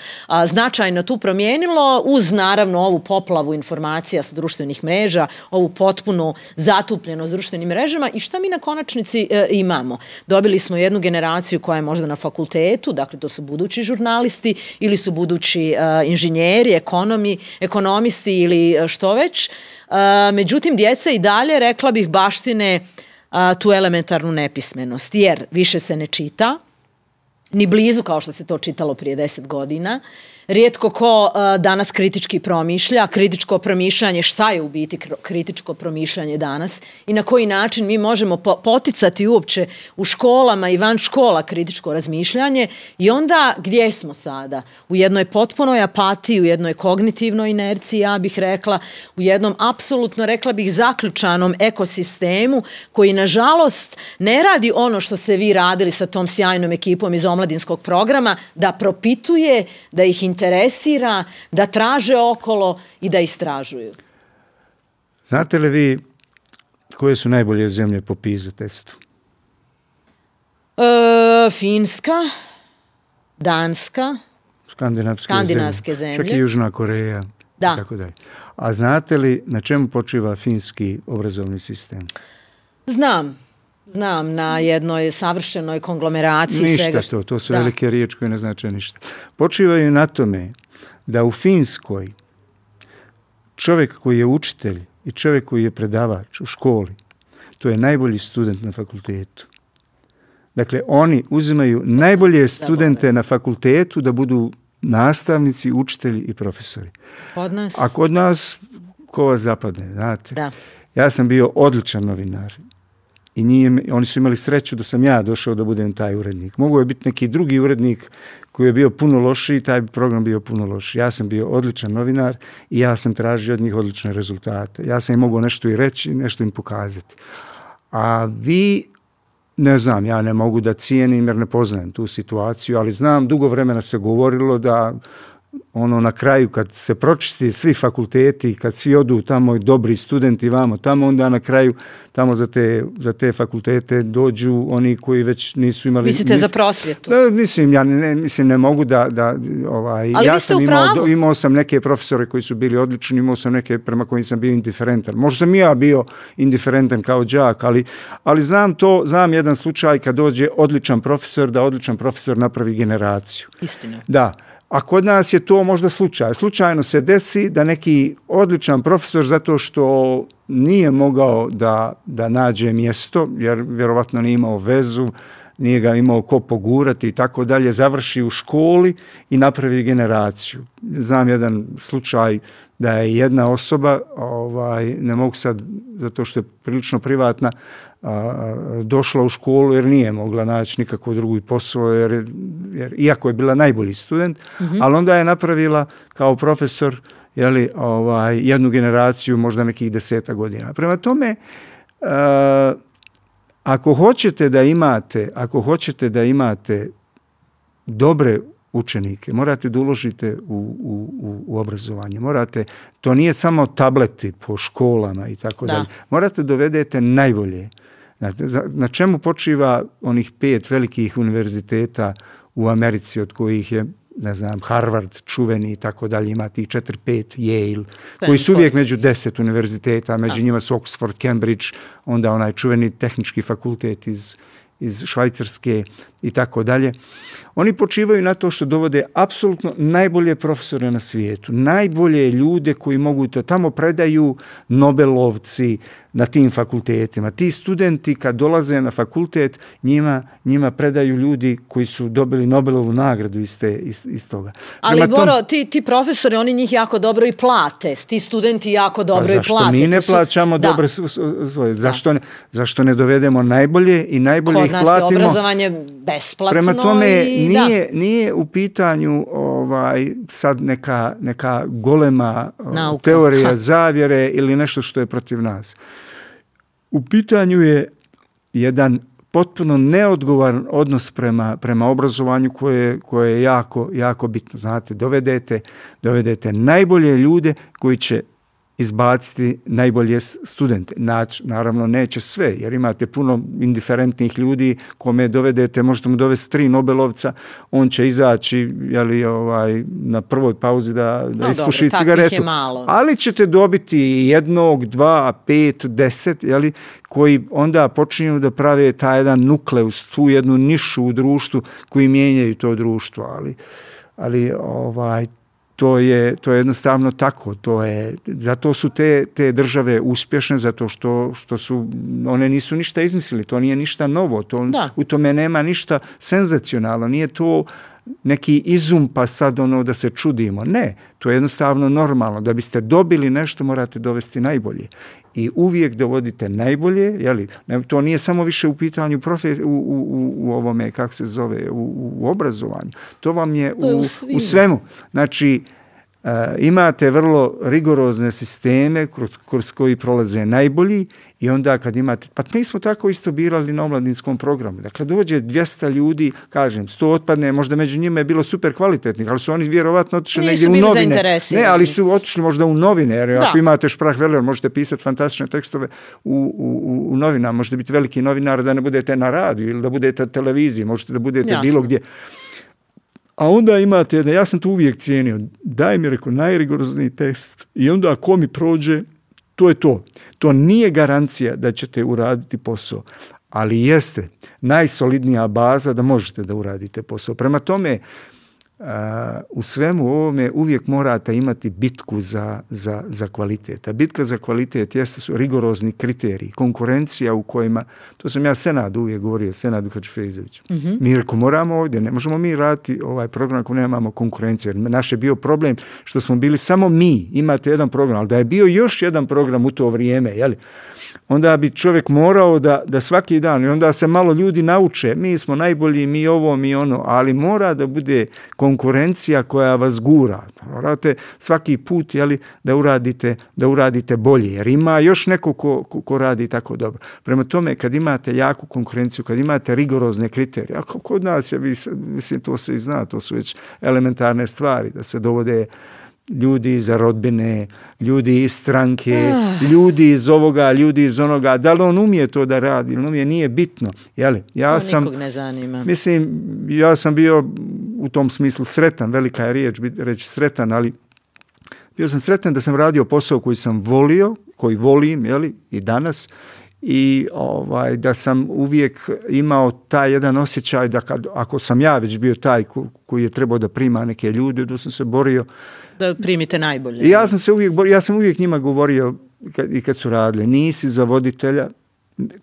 značajno tu promijenilo, uz naravno ovu poplavu informacija sa društvenih mreža, ovu potpunu zatupljenost društvenim mrežama. I šta mi na konačnici imamo? Dobili smo jednu generaciju koja je možda na fakultetu, dakle to su budući žurnalisti ili su budući inženjeri, ekonomisti ili što već. Međutim, djeca i dalje, rekla bih, baštine tu elementarnu nepismenost, jer više se ne čita, ni blizu kao što se to čitalo prije 10 godina. Rijetko ko danas kritički promišlja. Kritičko promišljanje, šta je u biti kritičko promišljanje danas i na koji način mi možemo poticati uopće u školama i van škola kritičko razmišljanje. I onda gdje smo sada? U jednoj potpunoj apatiji, u jednoj kognitivnoj inerciji, ja bih rekla, u jednom apsolutno, rekla bih, zaključanom ekosistemu koji nažalost ne radi ono što ste vi radili sa tom sjajnom ekipom iz omladinskog programa, da propituje, da ih interesira, da traže okolo i da istražuju. Znate li vi koje su najbolje zemlje po PISA testu? Finska, Danska, skandinavske zemlje. Čak i Južna Koreja. Da. I tako dalje. A znate li na čemu počiva finski obrazovni sistem? Znam na jednoj savršenoj konglomeraciji. Ništa to su velike riječi koje ne znače ništa. Počivaju na tome da u Finskoj čovjek koji je učitelj i čovjek koji je predavač u školi, to je najbolji student na fakultetu. Dakle, oni uzimaju najbolje studente na fakultetu da budu nastavnici, učitelji i profesori. A kod nas ko vas zapadne, znate. Da. Ja sam bio odličan novinar. I oni su imali sreću da sam ja došao da budem taj urednik. Mogao je biti neki drugi urednik koji je bio puno lošiji, taj bi program bio puno lošiji. Ja sam bio odličan novinar i ja sam tražio od njih odlične rezultate. Ja sam im mogao nešto i reći, nešto im pokazati. A vi, ne znam, ja ne mogu da cijenim jer ne poznajem tu situaciju, ali znam, dugo vremena se govorilo da na kraju kad se pročisti svi fakulteti, kad svi odu tamo i dobri studenti vamo tamo, onda na kraju tamo za te fakultete dođu oni koji već nisu imali... Mislite za prosvjetu? Ne mogu da ali ja sam imao sam neke profesore koji su bili odlični, imao sam neke prema kojim sam bio indiferentan. Možda sam ja bio indiferentan kao đak, ali znam jedan slučaj kad dođe odličan profesor, da odličan profesor napravi generaciju. Istina. Da. A kod nas je to možda slučaj. Slučajno se desi da neki odličan profesor, zato što nije mogao da nađe mjesto, jer vjerovatno nije imao vezu, nije ga imao ko pogurati i tako dalje, završi u školi i napravi generaciju. Znam jedan slučaj da je jedna osoba, ne mogu sad, zato što je prilično privatna, došla u školu jer nije mogla naći nikakvu drugu posao, jer iako je bila najbolji student, ali onda je napravila kao profesor jednu generaciju, možda nekih 10 godina. Prema tome, ako hoćete da imate dobre učenike, morate da uložite u obrazovanje. To nije samo tableti po školama i tako dalje. Morate dovedete najbolje. Na čemu počiva onih 5 velikih univerziteta u Americi, od kojih je, ne znam, Harvard, čuveni i tako dalje, ima tih 4-5, Yale, koji su uvijek među 10 univerziteta, među njima su Oxford, Cambridge, onda onaj čuveni tehnički fakultet iz Švajcarske i tako dalje. Oni počivaju na to što dovode apsolutno najbolje profesore na svijetu, najbolje ljude koji mogu to, tamo predaju Nobelovci na tim fakultetima. Ti studenti kad dolaze na fakultet, njima predaju ljudi koji su dobili Nobelovu nagradu iz toga. Ali Boro, ti profesori, oni njih jako dobro i plate, ti studenti jako dobro i plate. Zašto mi ne plaćamo dobro svoje? Zašto ne dovedemo najbolje i najbolje ih platimo? Kod nas je obrazovanje besplatno. Prema tome, nije u pitanju sad neka golema teorija zavjere ili nešto što je protiv nas. U pitanju je jedan potpuno neodgovoran odnos prema obrazovanju koje je jako, jako bitno. Znate, dovedete najbolje ljude koji će izbaciti najbolje studente. Naravno, neće sve, jer imate puno indiferentnih ljudi kome dovedete, možete mu dovesti 3 Nobelovca, on će izaći na prvoj pauzi da ispuši cigaretu. Ali ćete dobiti 1, 2, 5, 10, koji onda počinju da prave taj jedan nukleus, tu jednu nišu u društvu koji mijenjaju to društvo. Ali to je jednostavno tako. Zato su te države uspješne, zato što su, one nisu ništa izmislili, to nije ništa novo, u tome nema ništa senzacionalno, nije to neki izum pa sad da se čudimo. Ne, to je jednostavno normalno. Da biste dobili nešto, morate dovesti najbolje. I uvijek dovodite najbolje, to nije samo više u pitanju u ovome, kako se zove, u obrazovanju. To vam je u svemu. Znači, imate vrlo rigorozne sisteme kroz koji prolaze najbolji i onda kad imate, pa mi smo tako isto birali na omladinskom programu. Dakle, dođe 200 ljudi, kažem, 100 otpadne, možda među njima je bilo super kvalitetnih, ali su oni vjerovatno otišli negdje u novine. Ne, ali su otišli možda u novine, jer ako imate Sprachwelle, možete pisati fantastične tekstove u novinama, možete biti veliki novinar da ne budete na radiju ili da budete na televiziji, možete da budete bilo gdje. A onda imate, ja sam to uvijek cijenio, daj mi najrigorozniji test i onda ako mi prođe, to je to. To nije garancija da ćete uraditi posao, ali jeste najsolidnija baza da možete da uradite posao. Prema tome, u svemu ovome uvijek morate imati bitku za kvalitet. A bitka za kvalitet su rigorozni kriteriji, konkurencija u kojima, to sam ja Senadu uvijek govorio, Senadu Hadžifejzoviću. Mi reko moramo ovdje, ne možemo mi raditi ovaj program ako nemamo konkurenciju. Jer naš je bio problem što smo bili samo mi, imate jedan program, ali da je bio još jedan program u to vrijeme, onda bi čovjek morao da svaki dan, i onda se malo ljudi nauče, mi smo najbolji, mi ovo, mi ono, ali mora da bude konkurencija koja vas gura. Morate svaki put da uradite bolje, jer ima još neko ko radi tako dobro. Prema tome, kad imate jaku konkurenciju, kad imate rigorozne kriterije, a kod nas je, mislim, to se i zna, to su već elementarne stvari, da se dovode ljudi iz rodbine, ljudi iz stranke, ljudi iz ovoga, ljudi iz onoga. Da li on umije to da radi ili umije, nije bitno. Nikog ne zanima. Mislim, ja sam bio u tom smislu sretan, velika je riječ reći sretan, ali bio sam sretan da sam radio posao koji sam volio, koji volim, i danas, i da sam uvijek imao taj jedan osjećaj da ako sam ja već bio taj koji je trebao da prima neke ljude, da sam se borio da primite najbolje. I ja sam uvijek njima govorio kad su radili, nisi za voditelja,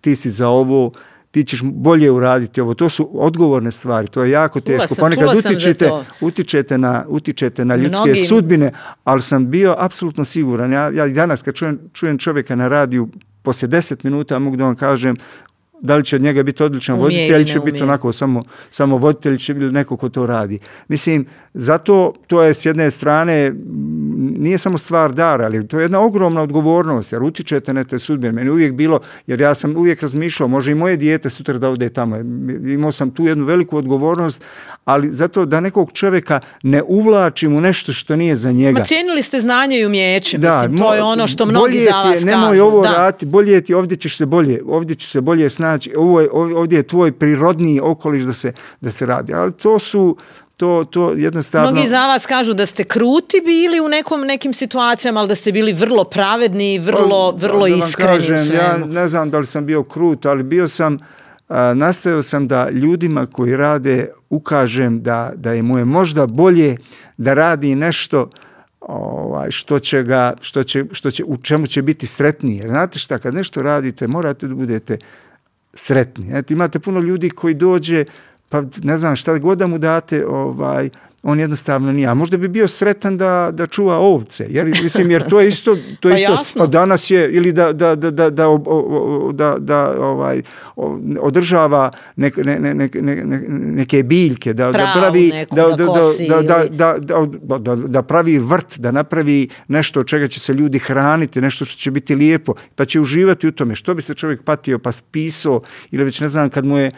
ti si za ovo, ti ćeš bolje uraditi ovo. To su odgovorne stvari, to je jako teško. Ponekad utičete na ljudske sudbine, ali sam bio apsolutno siguran. Ja i danas kad čujem čovjeka na radiju, poslije 10 minuta mogu da vam kažem da li će od njega biti odličan voditelj ili će biti onako samo voditelj, će biti neko ko to radi. Mislim, zato to je s jedne strane, nije samo stvar dara, ali to je jedna ogromna odgovornost, jer utičete na te sudbine. Meni uvijek bilo, jer ja sam uvijek razmišljao, može i moje dijete sutra da ode tamo. Imao sam tu jednu veliku odgovornost, ali zato da nekog čovjeka ne uvlačim u nešto što nije za njega. Ma cijenili ste znanje i umijeće, mislim, to je ono što mnogi za vas kažu. Nemoj ovo raditi, bolje ti, ovdje će se bolje snaći. Ovdje je tvoj prirodni okoliš da se radi. Ali to jednostavno... Mnogi za vas kažu da ste kruti bili u nekim situacijama, ali da ste bili vrlo pravedni i vrlo iskreni u svemu. Ja ne znam da li sam bio krut, ali bio sam nastojao sam da ljudima koji rade ukažem da je mu je možda bolje da radi nešto u čemu će biti sretniji. Jer znate šta, kad nešto radite, morate da budete sretni. Imate puno ljudi koji dođe, pa ne znam šta god da mu date, on jednostavno nije. A možda bi bio sretan da čuva ovce. Jer to je isto, pa danas je, ili da održava neke biljke, da pravi vrt, da napravi nešto od čega će se ljudi hraniti, nešto što će biti lijepo, pa će uživati u tome. Što bi se čovjek patio, pa pisao, ili već ne znam, kad mu je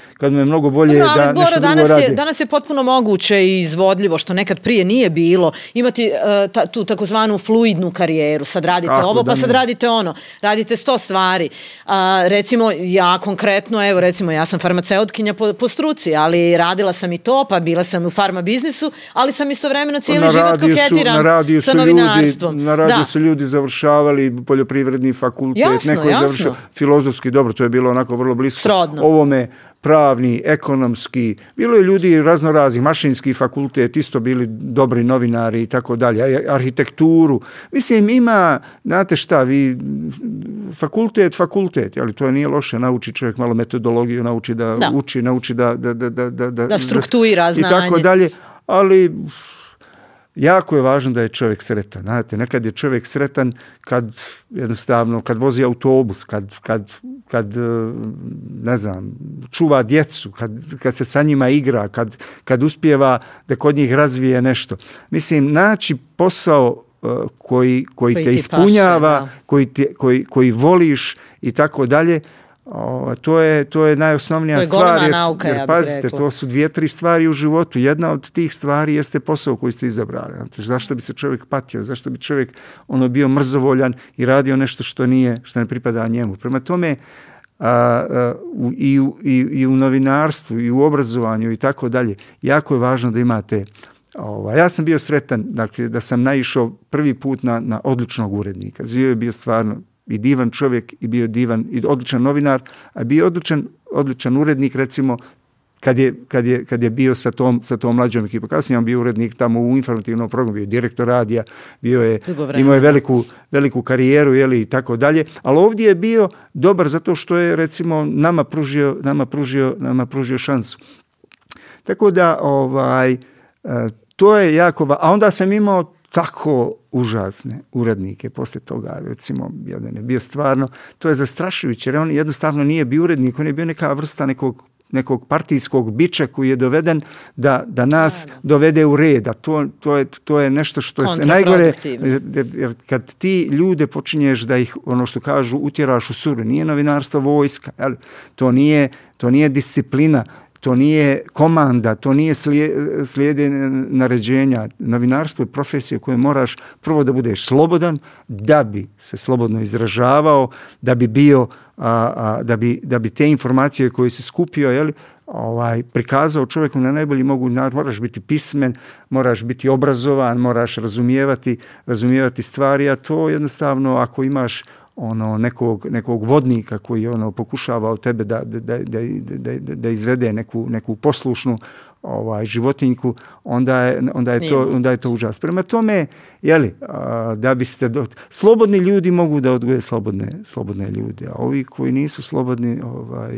mnogo bolje da nešto drugo radi. Danas je potpuno moguće i izvodljivo, što nekad prije nije bilo, imati tu takozvanu fluidnu karijeru. Sad radite ovo, pa sad radite ono. Radite 100 stvari. Recimo, ja konkretno, ja sam farmaceutkinja po struci, ali radila sam i to, pa bila sam u farma biznisu, ali sam istovremeno cijeli život koketiram sa novinarstvom. Na radiju su ljudi završavali poljoprivredni fakultet, neko je završio filozofski, dobro, to je bilo onako vrlo blisko. Srodno. Ovome pravni, ekonomski, bilo je ljudi raznorazni, mašinski fakultet, isto bili dobri novinari i tako dalje, arhitekturu. Mislim, ima, znate šta, fakultet, ali to nije loše, nauči čovjek malo metodologiju, nauči da uči, nauči da struktuira znanje. I tako dalje, ali jako je važno da je čovjek sretan. Znate, nekad je čovjek sretan kad vozi autobus, kad ne znam, čuva djecu, kad se sa njima igra, kad uspijeva da kod njih razvije nešto. Mislim, naći posao koji te ispunjava, koji voliš i tako dalje, to je najosnovnija stvar. Nauka, jer pazite, to su 2-3 stvari u životu. Jedna od tih stvari jeste posao koji ste izabrali. Zašto bi se čovjek patio? Zašto bi čovjek bio mrzovoljan i radio nešto što ne pripada njemu? Prema tome, i u novinarstvu i u obrazovanju i tako dalje, jako je važno da imate. Ja sam bio sretan, dakle, da sam naišao prvi put na odličnog urednika. Živio je bio stvarno i divan čovjek i bio divan i odličan novinar, a bio odličan urednik, recimo, kad je bio sa tom mlađom ekipom. Kasnije on bio urednik tamo u informativnom programu, bio direktor radija, imao je veliku karijeru, i tako dalje, ali ovdje je bio dobar zato što je, recimo, nama pružio šansu. Tako da, to je jako, a onda sam imao tako užasne urednike poslije toga, recimo, jedan je bio stvarno, to je zastrašujuće, jer on jednostavno nije bio urednik, on je bio neka vrsta nekog partijskog biča koji je doveden da nas dovede u red, a to je nešto što je najgore, jer kad ti ljude počinješ da ih, ono što kažu, utjeraš u suru, nije novinarstvo vojska, to nije disciplina, to nije komanda, to nije slijedenje naređenja. Novinarstvo je profesija koju moraš prvo da budeš slobodan, da bi se slobodno izražavao, da bi bio, da bi te informacije koje si skupio, prikazao čovjeku na najbolji mogući način. Moraš biti pismen, moraš biti obrazovan, moraš razumijevati stvari, a to jednostavno, ako imaš nekog vodnika koji pokušava od tebe da izvede neku poslušnu životinjku, onda je to užas. Prema tome, da biste slobodni ljudi mogu da odgoje slobodne ljude, a ovi koji nisu slobodni...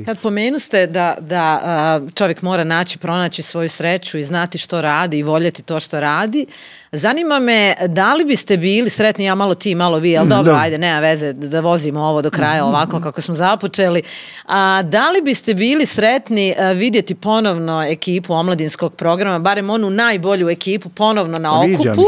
Kad pomenuste da čovjek mora pronaći svoju sreću i znati što radi i voljeti to što radi, zanima me, da li biste bili sretni, ja malo ti, malo vi, ali dobro, ajde, nema veze da vozimo ovo do kraja ovako kako smo započeli. Da li biste bili sretni vidjeti ponovno ekipu omladinskog programa, barem onu najbolju ekipu ponovno na okupu?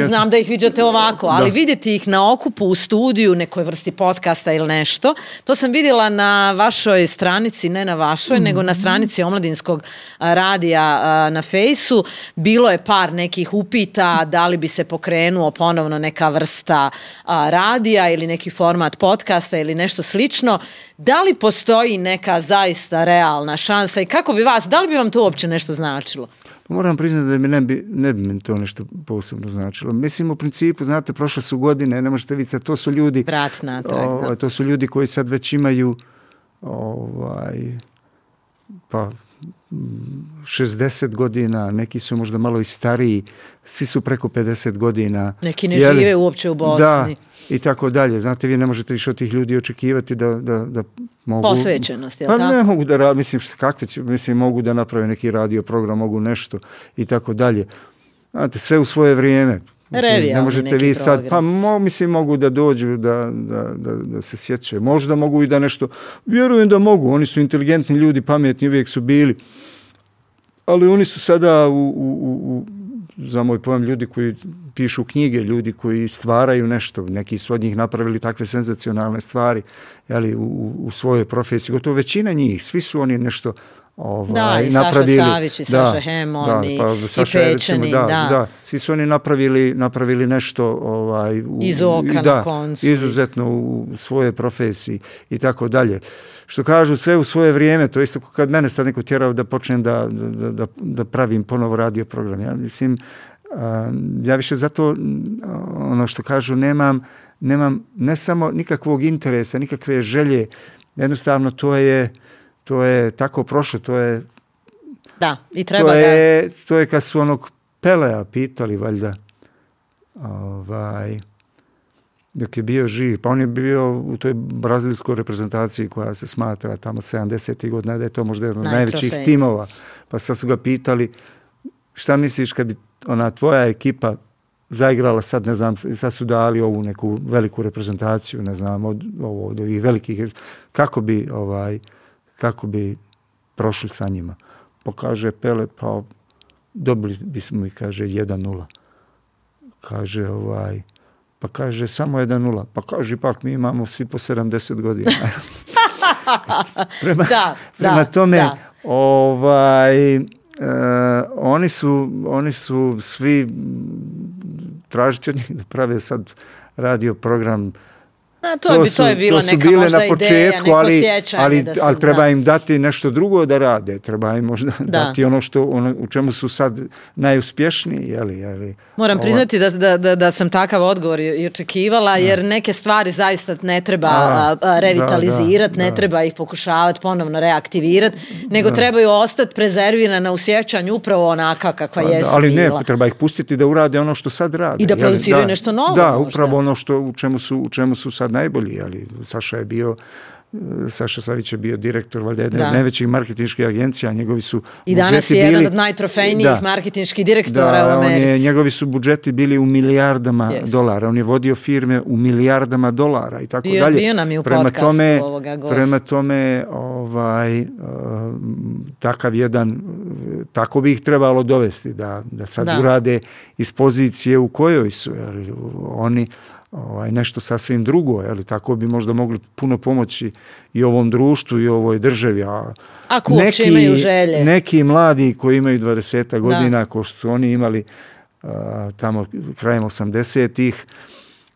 Znam da ih viđate ovako, ali vidjeti ih na okupu u studiju, nekoj vrsti podcasta ili nešto. To sam vidjela na vašoj stranici, ne na vašoj, nego na stranici omladinskog radija na Fejsu. Bilo je par nekih upita da li bi se pokrenuo ponovno neka vrsta radija ili neki format podcasta ili nešto slično. Da li postoji neka zaista realna šansa i kako bi da li bi vam to uopće nešto značilo? Moram priznati da ne bi mi to nešto posebno značilo. Mislim, u principu, znate, prošle su godine, ne možete vidjeti, to su ljudi, to su ljudi koji sad već imaju pa 60 godina, neki su možda malo i stariji, svi su preko 50 godina. Neki ne žive uopće u Bosni. Da, i tako dalje. Znate, vi ne možete više od tih ljudi očekivati da mogu... Posvećenost, je li tako? Pa ne mogu da, mogu da naprave neki radio program, mogu nešto i tako dalje. Znate, sve u svoje vrijeme. Ne možete vi sad, mogu da dođu, da se sjećaju. Možda mogu i da nešto, vjerujem da mogu, oni su inteligentni ljudi, pametni, uvijek su bili. Ali oni su sada za moj pojam, ljudi koji pišu knjige, ljudi koji stvaraju nešto. Neki su od njih napravili takve senzacionalne stvari, jeli, u svojoj profesiji. Gotovo većina njih, svi su oni nešto i napravili. Saša Savić i Saša Hemon i Pečani. Svi su oni napravili nešto iz oka na koncu. Izuzetno u svojoj profesiji i tako dalje. Što kažu, sve u svoje vrijeme, to je isto kad mene sad neko tjerao da počnem da pravim ponovo radio program. Ja mislim, ja više zato, ono što kažu, nemam ne samo nikakvog interesa, nikakve želje, jednostavno to je tako prošlo, to je... Da, i treba to je kad su onog Pelea pitali, valjda, dok je bio živ, pa on je bio u toj brazilskoj reprezentaciji koja se smatra tamo 70. godina, da je to možda jedan od najvećih timova. Pa sad su ga pitali, šta misliš kad bi ona tvoja ekipa zaigrala sad, ne znam, sad su dali ovu neku veliku reprezentaciju, ne znam, od ovih velikih, kako bi prošli sa njima. Pa kaže Pele, pa dobili bismo, kaže, 1-0. Kaže, pa kaže, samo 1-0. Pa kaže, ipak mi imamo svi po 70 godina. Prema tome, oni su svi tražiti od njih da prave sad radio program. To je bila neka možda ideja, neko sjećanje. Ali treba im dati nešto drugo da rade. Treba im možda dati ono u čemu su sad najuspješniji. Moram priznati da sam takav odgovor i očekivala, jer neke stvari zaista ne treba revitalizirati, ne treba ih pokušavati ponovno reaktivirati, nego trebaju ostati prezervirana u sjećanju upravo onaka kakva jesu bila. Ali ne, treba ih pustiti da urade ono što sad rade. I da produciraju nešto novo. Da, upravo ono u čemu su sad najbolji, ali Saša Savić je bio direktor valjda jedne od najvećih marketinških agencija, njegovi su i danas je jedan od najtrofejnijih marketinških direktora u Americi. Njegovi su budžeti bili u milijardama dolara, on je vodio firme u milijardama dolara i tako dalje. Bio nam je u podcastu ovoga gosta. Prema tome, takav jedan, tako bi ih trebalo dovesti, da sad urade iz pozicije u kojoj su, oni nešto sasvim drugo, tako bi možda mogli puno pomoći i ovom društvu i ovoj državi. Ako uopće imaju želje. Neki mladi koji imaju 20 godina, ko što su oni imali tamo krajem 80-ih,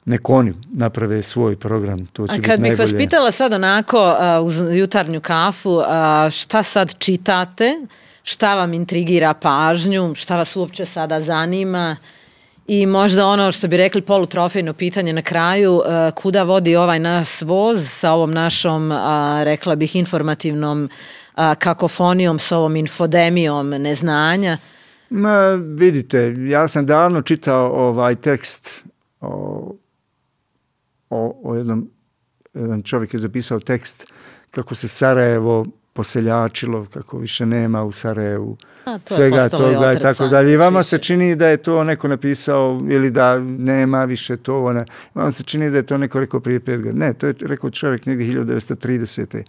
nek oni naprave svoj program. To će biti najbolje. A kad bih vas pitala sad onako uz jutarnju kafu, šta sad čitate, šta vam intrigira pažnju, šta vas uopće sada zanima, i možda ono što bi rekli polutrofejno pitanje na kraju, kuda vodi ovaj naš voz sa ovom našom, rekla bih, informativnom kakofonijom, s ovom infodemijom neznanja? Vidite, ja sam davno čitao ovaj tekst o jedan čovjek je zapisao tekst kako se Sarajevo poseljačilo, kako više nema u Sarajevu svega toga i tako dalje. I vama se čini da je to neko napisao ili da nema više to. Vama se čini da je to neko rekao prije 5 godina. Ne, to je rekao čovjek negdje 1930.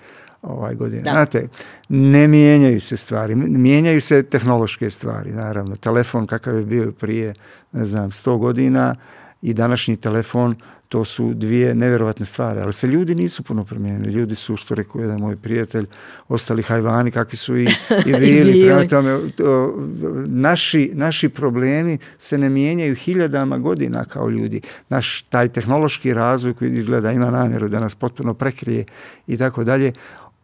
godine. Da. Znate, ne mijenjaju se stvari. Mijenjaju se tehnološke stvari, naravno. Telefon kakav je bio prije, 100 godina i današnji telefon, to su dvije nevjerovatne stvari, ali se ljudi nisu puno promijenili. Ljudi su, što rekao jedan moj prijatelj, ostali hajvani kakvi su i bili. Prema tome, naši problemi se ne mijenjaju hiljadama godina kao ljudi. Naš taj tehnološki razvoj koji izgleda ima namjeru da nas potpuno prekrije i tako dalje,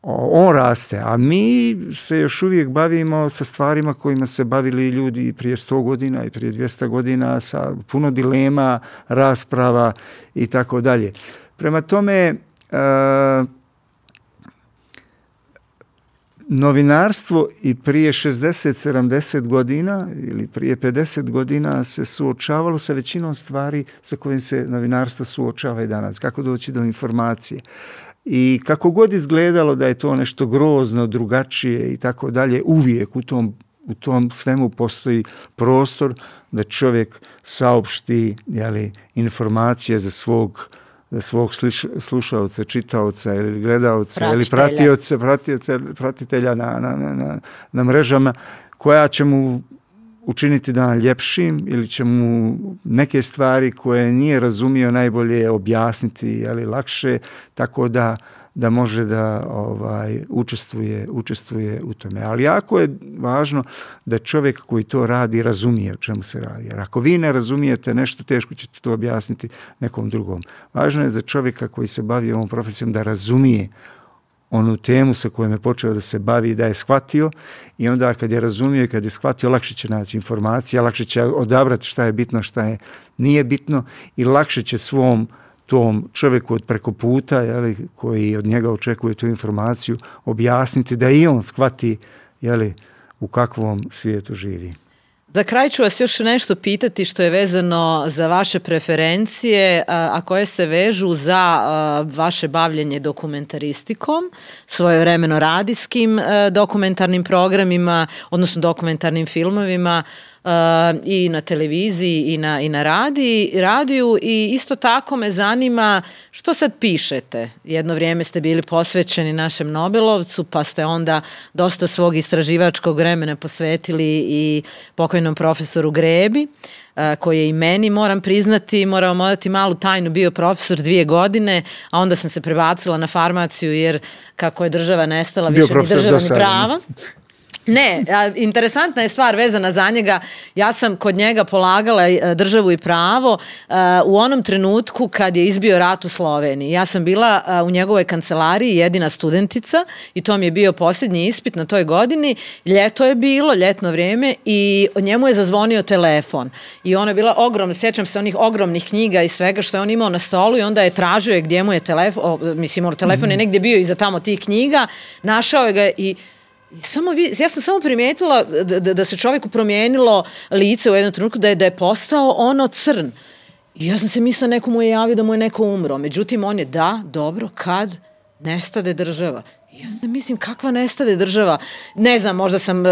on raste, a mi se još uvijek bavimo sa stvarima kojima se bavili ljudi prije 100 godina i prije 200 godina sa puno dilema, rasprava i tako dalje. novinarstvo i prije 60-70 godina ili prije 50 godina se suočavalo sa većinom stvari sa kojim se novinarstvo suočava i danas. Kako doći do informacije. I kako god izgledalo da je to nešto grozno, drugačije i tako dalje, uvijek u tom svemu postoji prostor da čovjek saopšti informacije za svog slušaoca, čitaoca ili gledaoca ili pratitelja na mrežama, koja će mu učiniti dan ljepšim ili će mu neke stvari koje nije razumio najbolje objasniti lakše, tako da može da učestvuje u tome. Ali jako je važno da čovjek koji to radi razumije o čemu se radi. Jer ako vi ne razumijete nešto, teško ćete to objasniti nekom drugom. Važno je za čovjeka koji se bavi ovom profesijom da razumije onu temu sa kojom je počeo da se bavi, da je shvatio, i onda kad je razumio i kad je shvatio, lakše će naći informacije, lakše će odabrati šta je bitno, šta nije bitno, i lakše će svom tom čovjeku od preko puta, koji od njega očekuje tu informaciju, objasniti da i on shvati u kakvom svijetu živi. Za kraj ću vas još nešto pitati što je vezano za vaše preferencije, a koje se vežu za vaše bavljenje dokumentaristikom, svojevremeno radijskim dokumentarnim programima, odnosno dokumentarnim filmovima, i na televiziji i na radiju, i isto tako me zanima što sad pišete. Jedno vrijeme ste bili posvećeni našem Nobelovcu, pa ste onda dosta svog istraživačkog vremena posvetili i pokojnom profesoru Grebi, koji je i meni, moram priznati, moram odati malu tajnu, bio profesor 2 godine, a onda sam se prebacila na farmaciju, jer kako je država nestala, više ni država ni prava. Ne, interesantna je stvar vezana za njega. Ja sam kod njega polagala državu i pravo u onom trenutku kad je izbio rat u Sloveniji. Ja sam bila u njegovoj kancelariji jedina studentica i to mi je bio posljednji ispit na toj godini. Ljeto je bilo, ljetno vrijeme, i njemu je zazvonio telefon. I ona je bila ogromna, sjećam se onih ogromnih knjiga i svega što je on imao na stolu, i onda je tražio gdje mu je telefon, telefon je negdje bio iza tamo tih knjiga, našao je ga i ja sam samo primijetila da se čovjeku promijenilo lice u jednom trenutku, da je postao ono crn. I ja sam se mislila, neko mu je javio da mu je neko umro. Međutim, on je dobro, kad nestade država. I ja sam mislim, kakva nestade država? Ne znam, možda sam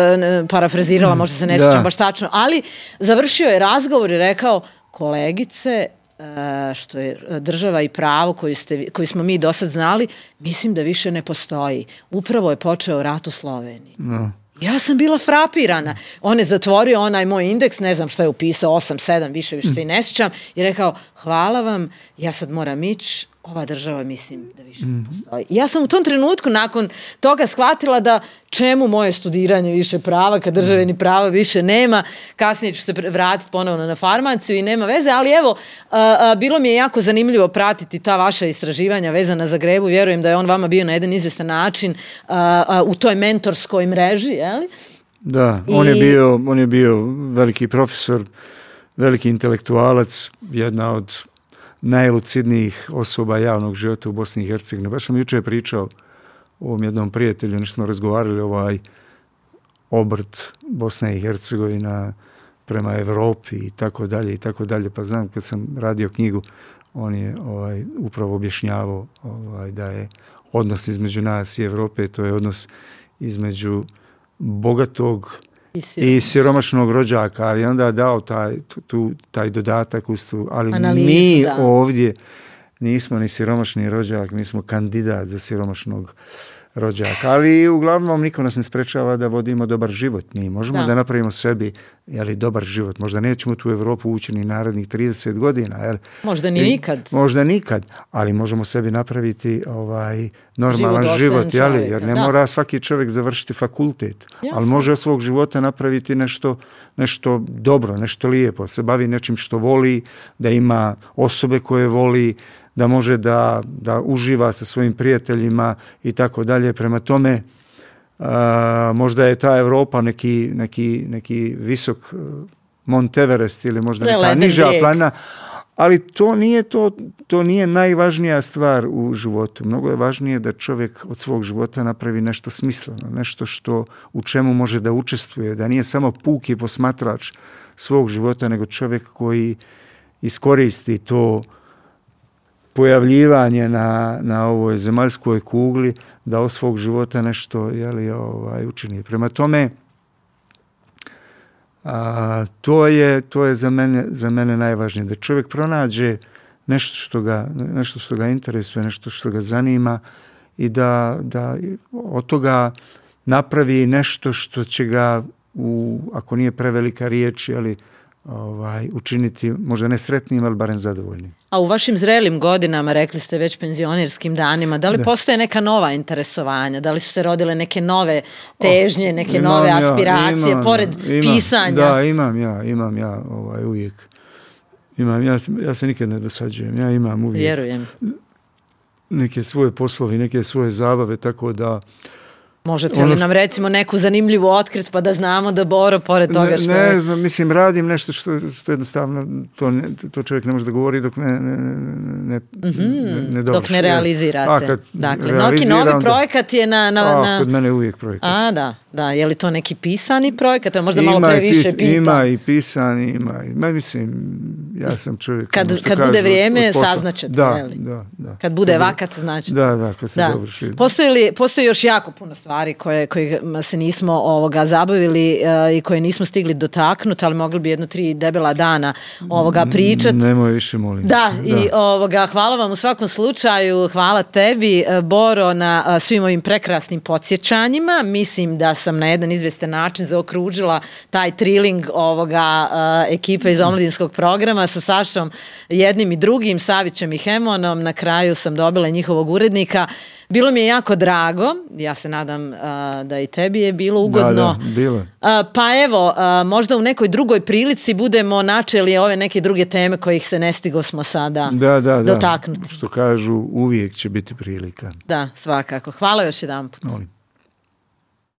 parafrazirala, možda se ne sjećam baš tačno, ali završio je razgovor i rekao, kolegice, što je država i pravo koju smo mi do sad znali, mislim da više ne postoji. Upravo je počeo rat u Sloveniji. No. Ja sam bila frapirana. On je zatvorio onaj moj indeks, ne znam što je upisao, 8, 7, više se i ne sjećam, i rekao, hvala vam, ja sad moram ići, ova država mislim da više ne postoji. Ja sam u tom trenutku nakon toga shvatila da čemu moje studiranje više prava, kad države ni prava više nema. Kasnije ću se vratiti ponovno na farmaciju i nema veze, ali evo, bilo mi je jako zanimljivo pratiti ta vaša istraživanja vezana za Grebu. Vjerujem da je on vama bio na jedan izvestan način u toj mentorskoj mreži, jeli? Da, on je bio veliki profesor, veliki intelektualac, jedna od najlucidnijih osoba javnog života u Bosni i Hercegovini. Baš sam jučer pričao o ovom jednom prijatelju, nešto smo razgovarali obrt Bosna i Hercegovina prema Evropi i tako dalje. Pa znam, kad sam radio knjigu, on je upravo objašnjavao da je odnos između nas i Evrope, to je odnos između bogatog i siromašnog rođaka, ali onda je dao taj dodatak uz tu, ali analizu, mi ovdje nismo ni siromašni rođak, mi smo kandidat za siromašnog rođaka, ali uglavnom niko nas ne sprečava da vodimo dobar život. Mi možemo da napravimo sebi dobar život. Možda nećemo tu u Evropu ući ni narednih 30 godina. Možda nikad, ali možemo sebi napraviti normalan život, jer ne mora svaki čovjek završiti fakultet, ali može od svog života napraviti nešto dobro, nešto lijepo, se bavi nečim što voli, da ima osobe koje voli, da može da uživa sa svojim prijateljima i tako dalje. Prema tome, možda je ta Evropa neki visok Mont Everest ili možda neka niža planina, Ali to nije najvažnija stvar u životu. Mnogo je važnije da čovjek od svog života napravi nešto smisleno, nešto u čemu može da učestvuje, da nije samo puki posmatrač svog života, nego čovjek koji iskoristi to pojavljivanje na ovoj zemaljskoj kugli, da od svog života nešto učini. Prema tome, to je za mene najvažnije, da čovjek pronađe nešto što ga interesuje, nešto što ga zanima i da od toga napravi nešto što će ga, ako nije prevelika riječ, učiniti možda ne sretnim, ali barem zadovoljnim. A u vašim zrelim godinama, rekli ste već penzionerskim danima, da li postoje neka nova interesovanja? Da li su se rodile neke nove težnje, neke nove aspiracije, pored pisanja? Da, imam ja uvijek. Ja se nikad ne dosađujem. Ja imam uvijek Vjerujem. Neke svoje poslovi, neke svoje zabave, tako da... Možete li nam recimo neku zanimljivu otkrit pa da znamo da Boro pored toga što je... Ne znam, mislim, radim nešto što jednostavno to čovjek ne može da govori dok ne dovrši. Dok ne realizirate. Dakle, neki novi projekat je kod mene uvijek projekat. Da, je li to neki pisani projekat? To je možda malo previše pita. Ima i pisani, mislim, ja sam čovjek... Kad bude vrijeme, saznaćete. Da. Kad bude vakat, znači. Da, kad se dovrši. Postoji još jako puno stvari kojima se nismo zabavili i koje nismo stigli dotaknuti, ali mogli bi 1-3 debela dana pričati. Nemoj više, molim. Da, i hvala vam u svakom slučaju, hvala tebi, Boro, na svim ovim prekrasnim podsjećanjima. Mislim da sam na jedan izvestan način zaokružila taj triling ekipe iz omladinskog programa sa Sašom jednim i drugim, Savićem i Hemonom. Na kraju sam dobila njihovog urednika. Bilo mi je jako drago, ja se nadam da i tebi je bilo ugodno. Da, bilo. Pa evo, možda u nekoj drugoj prilici budemo načeli ove neke druge teme kojih se ne stigo smo sada dotaknuti. Što kažu, uvijek će biti prilika. Da, svakako. Hvala još jedanput. Molim.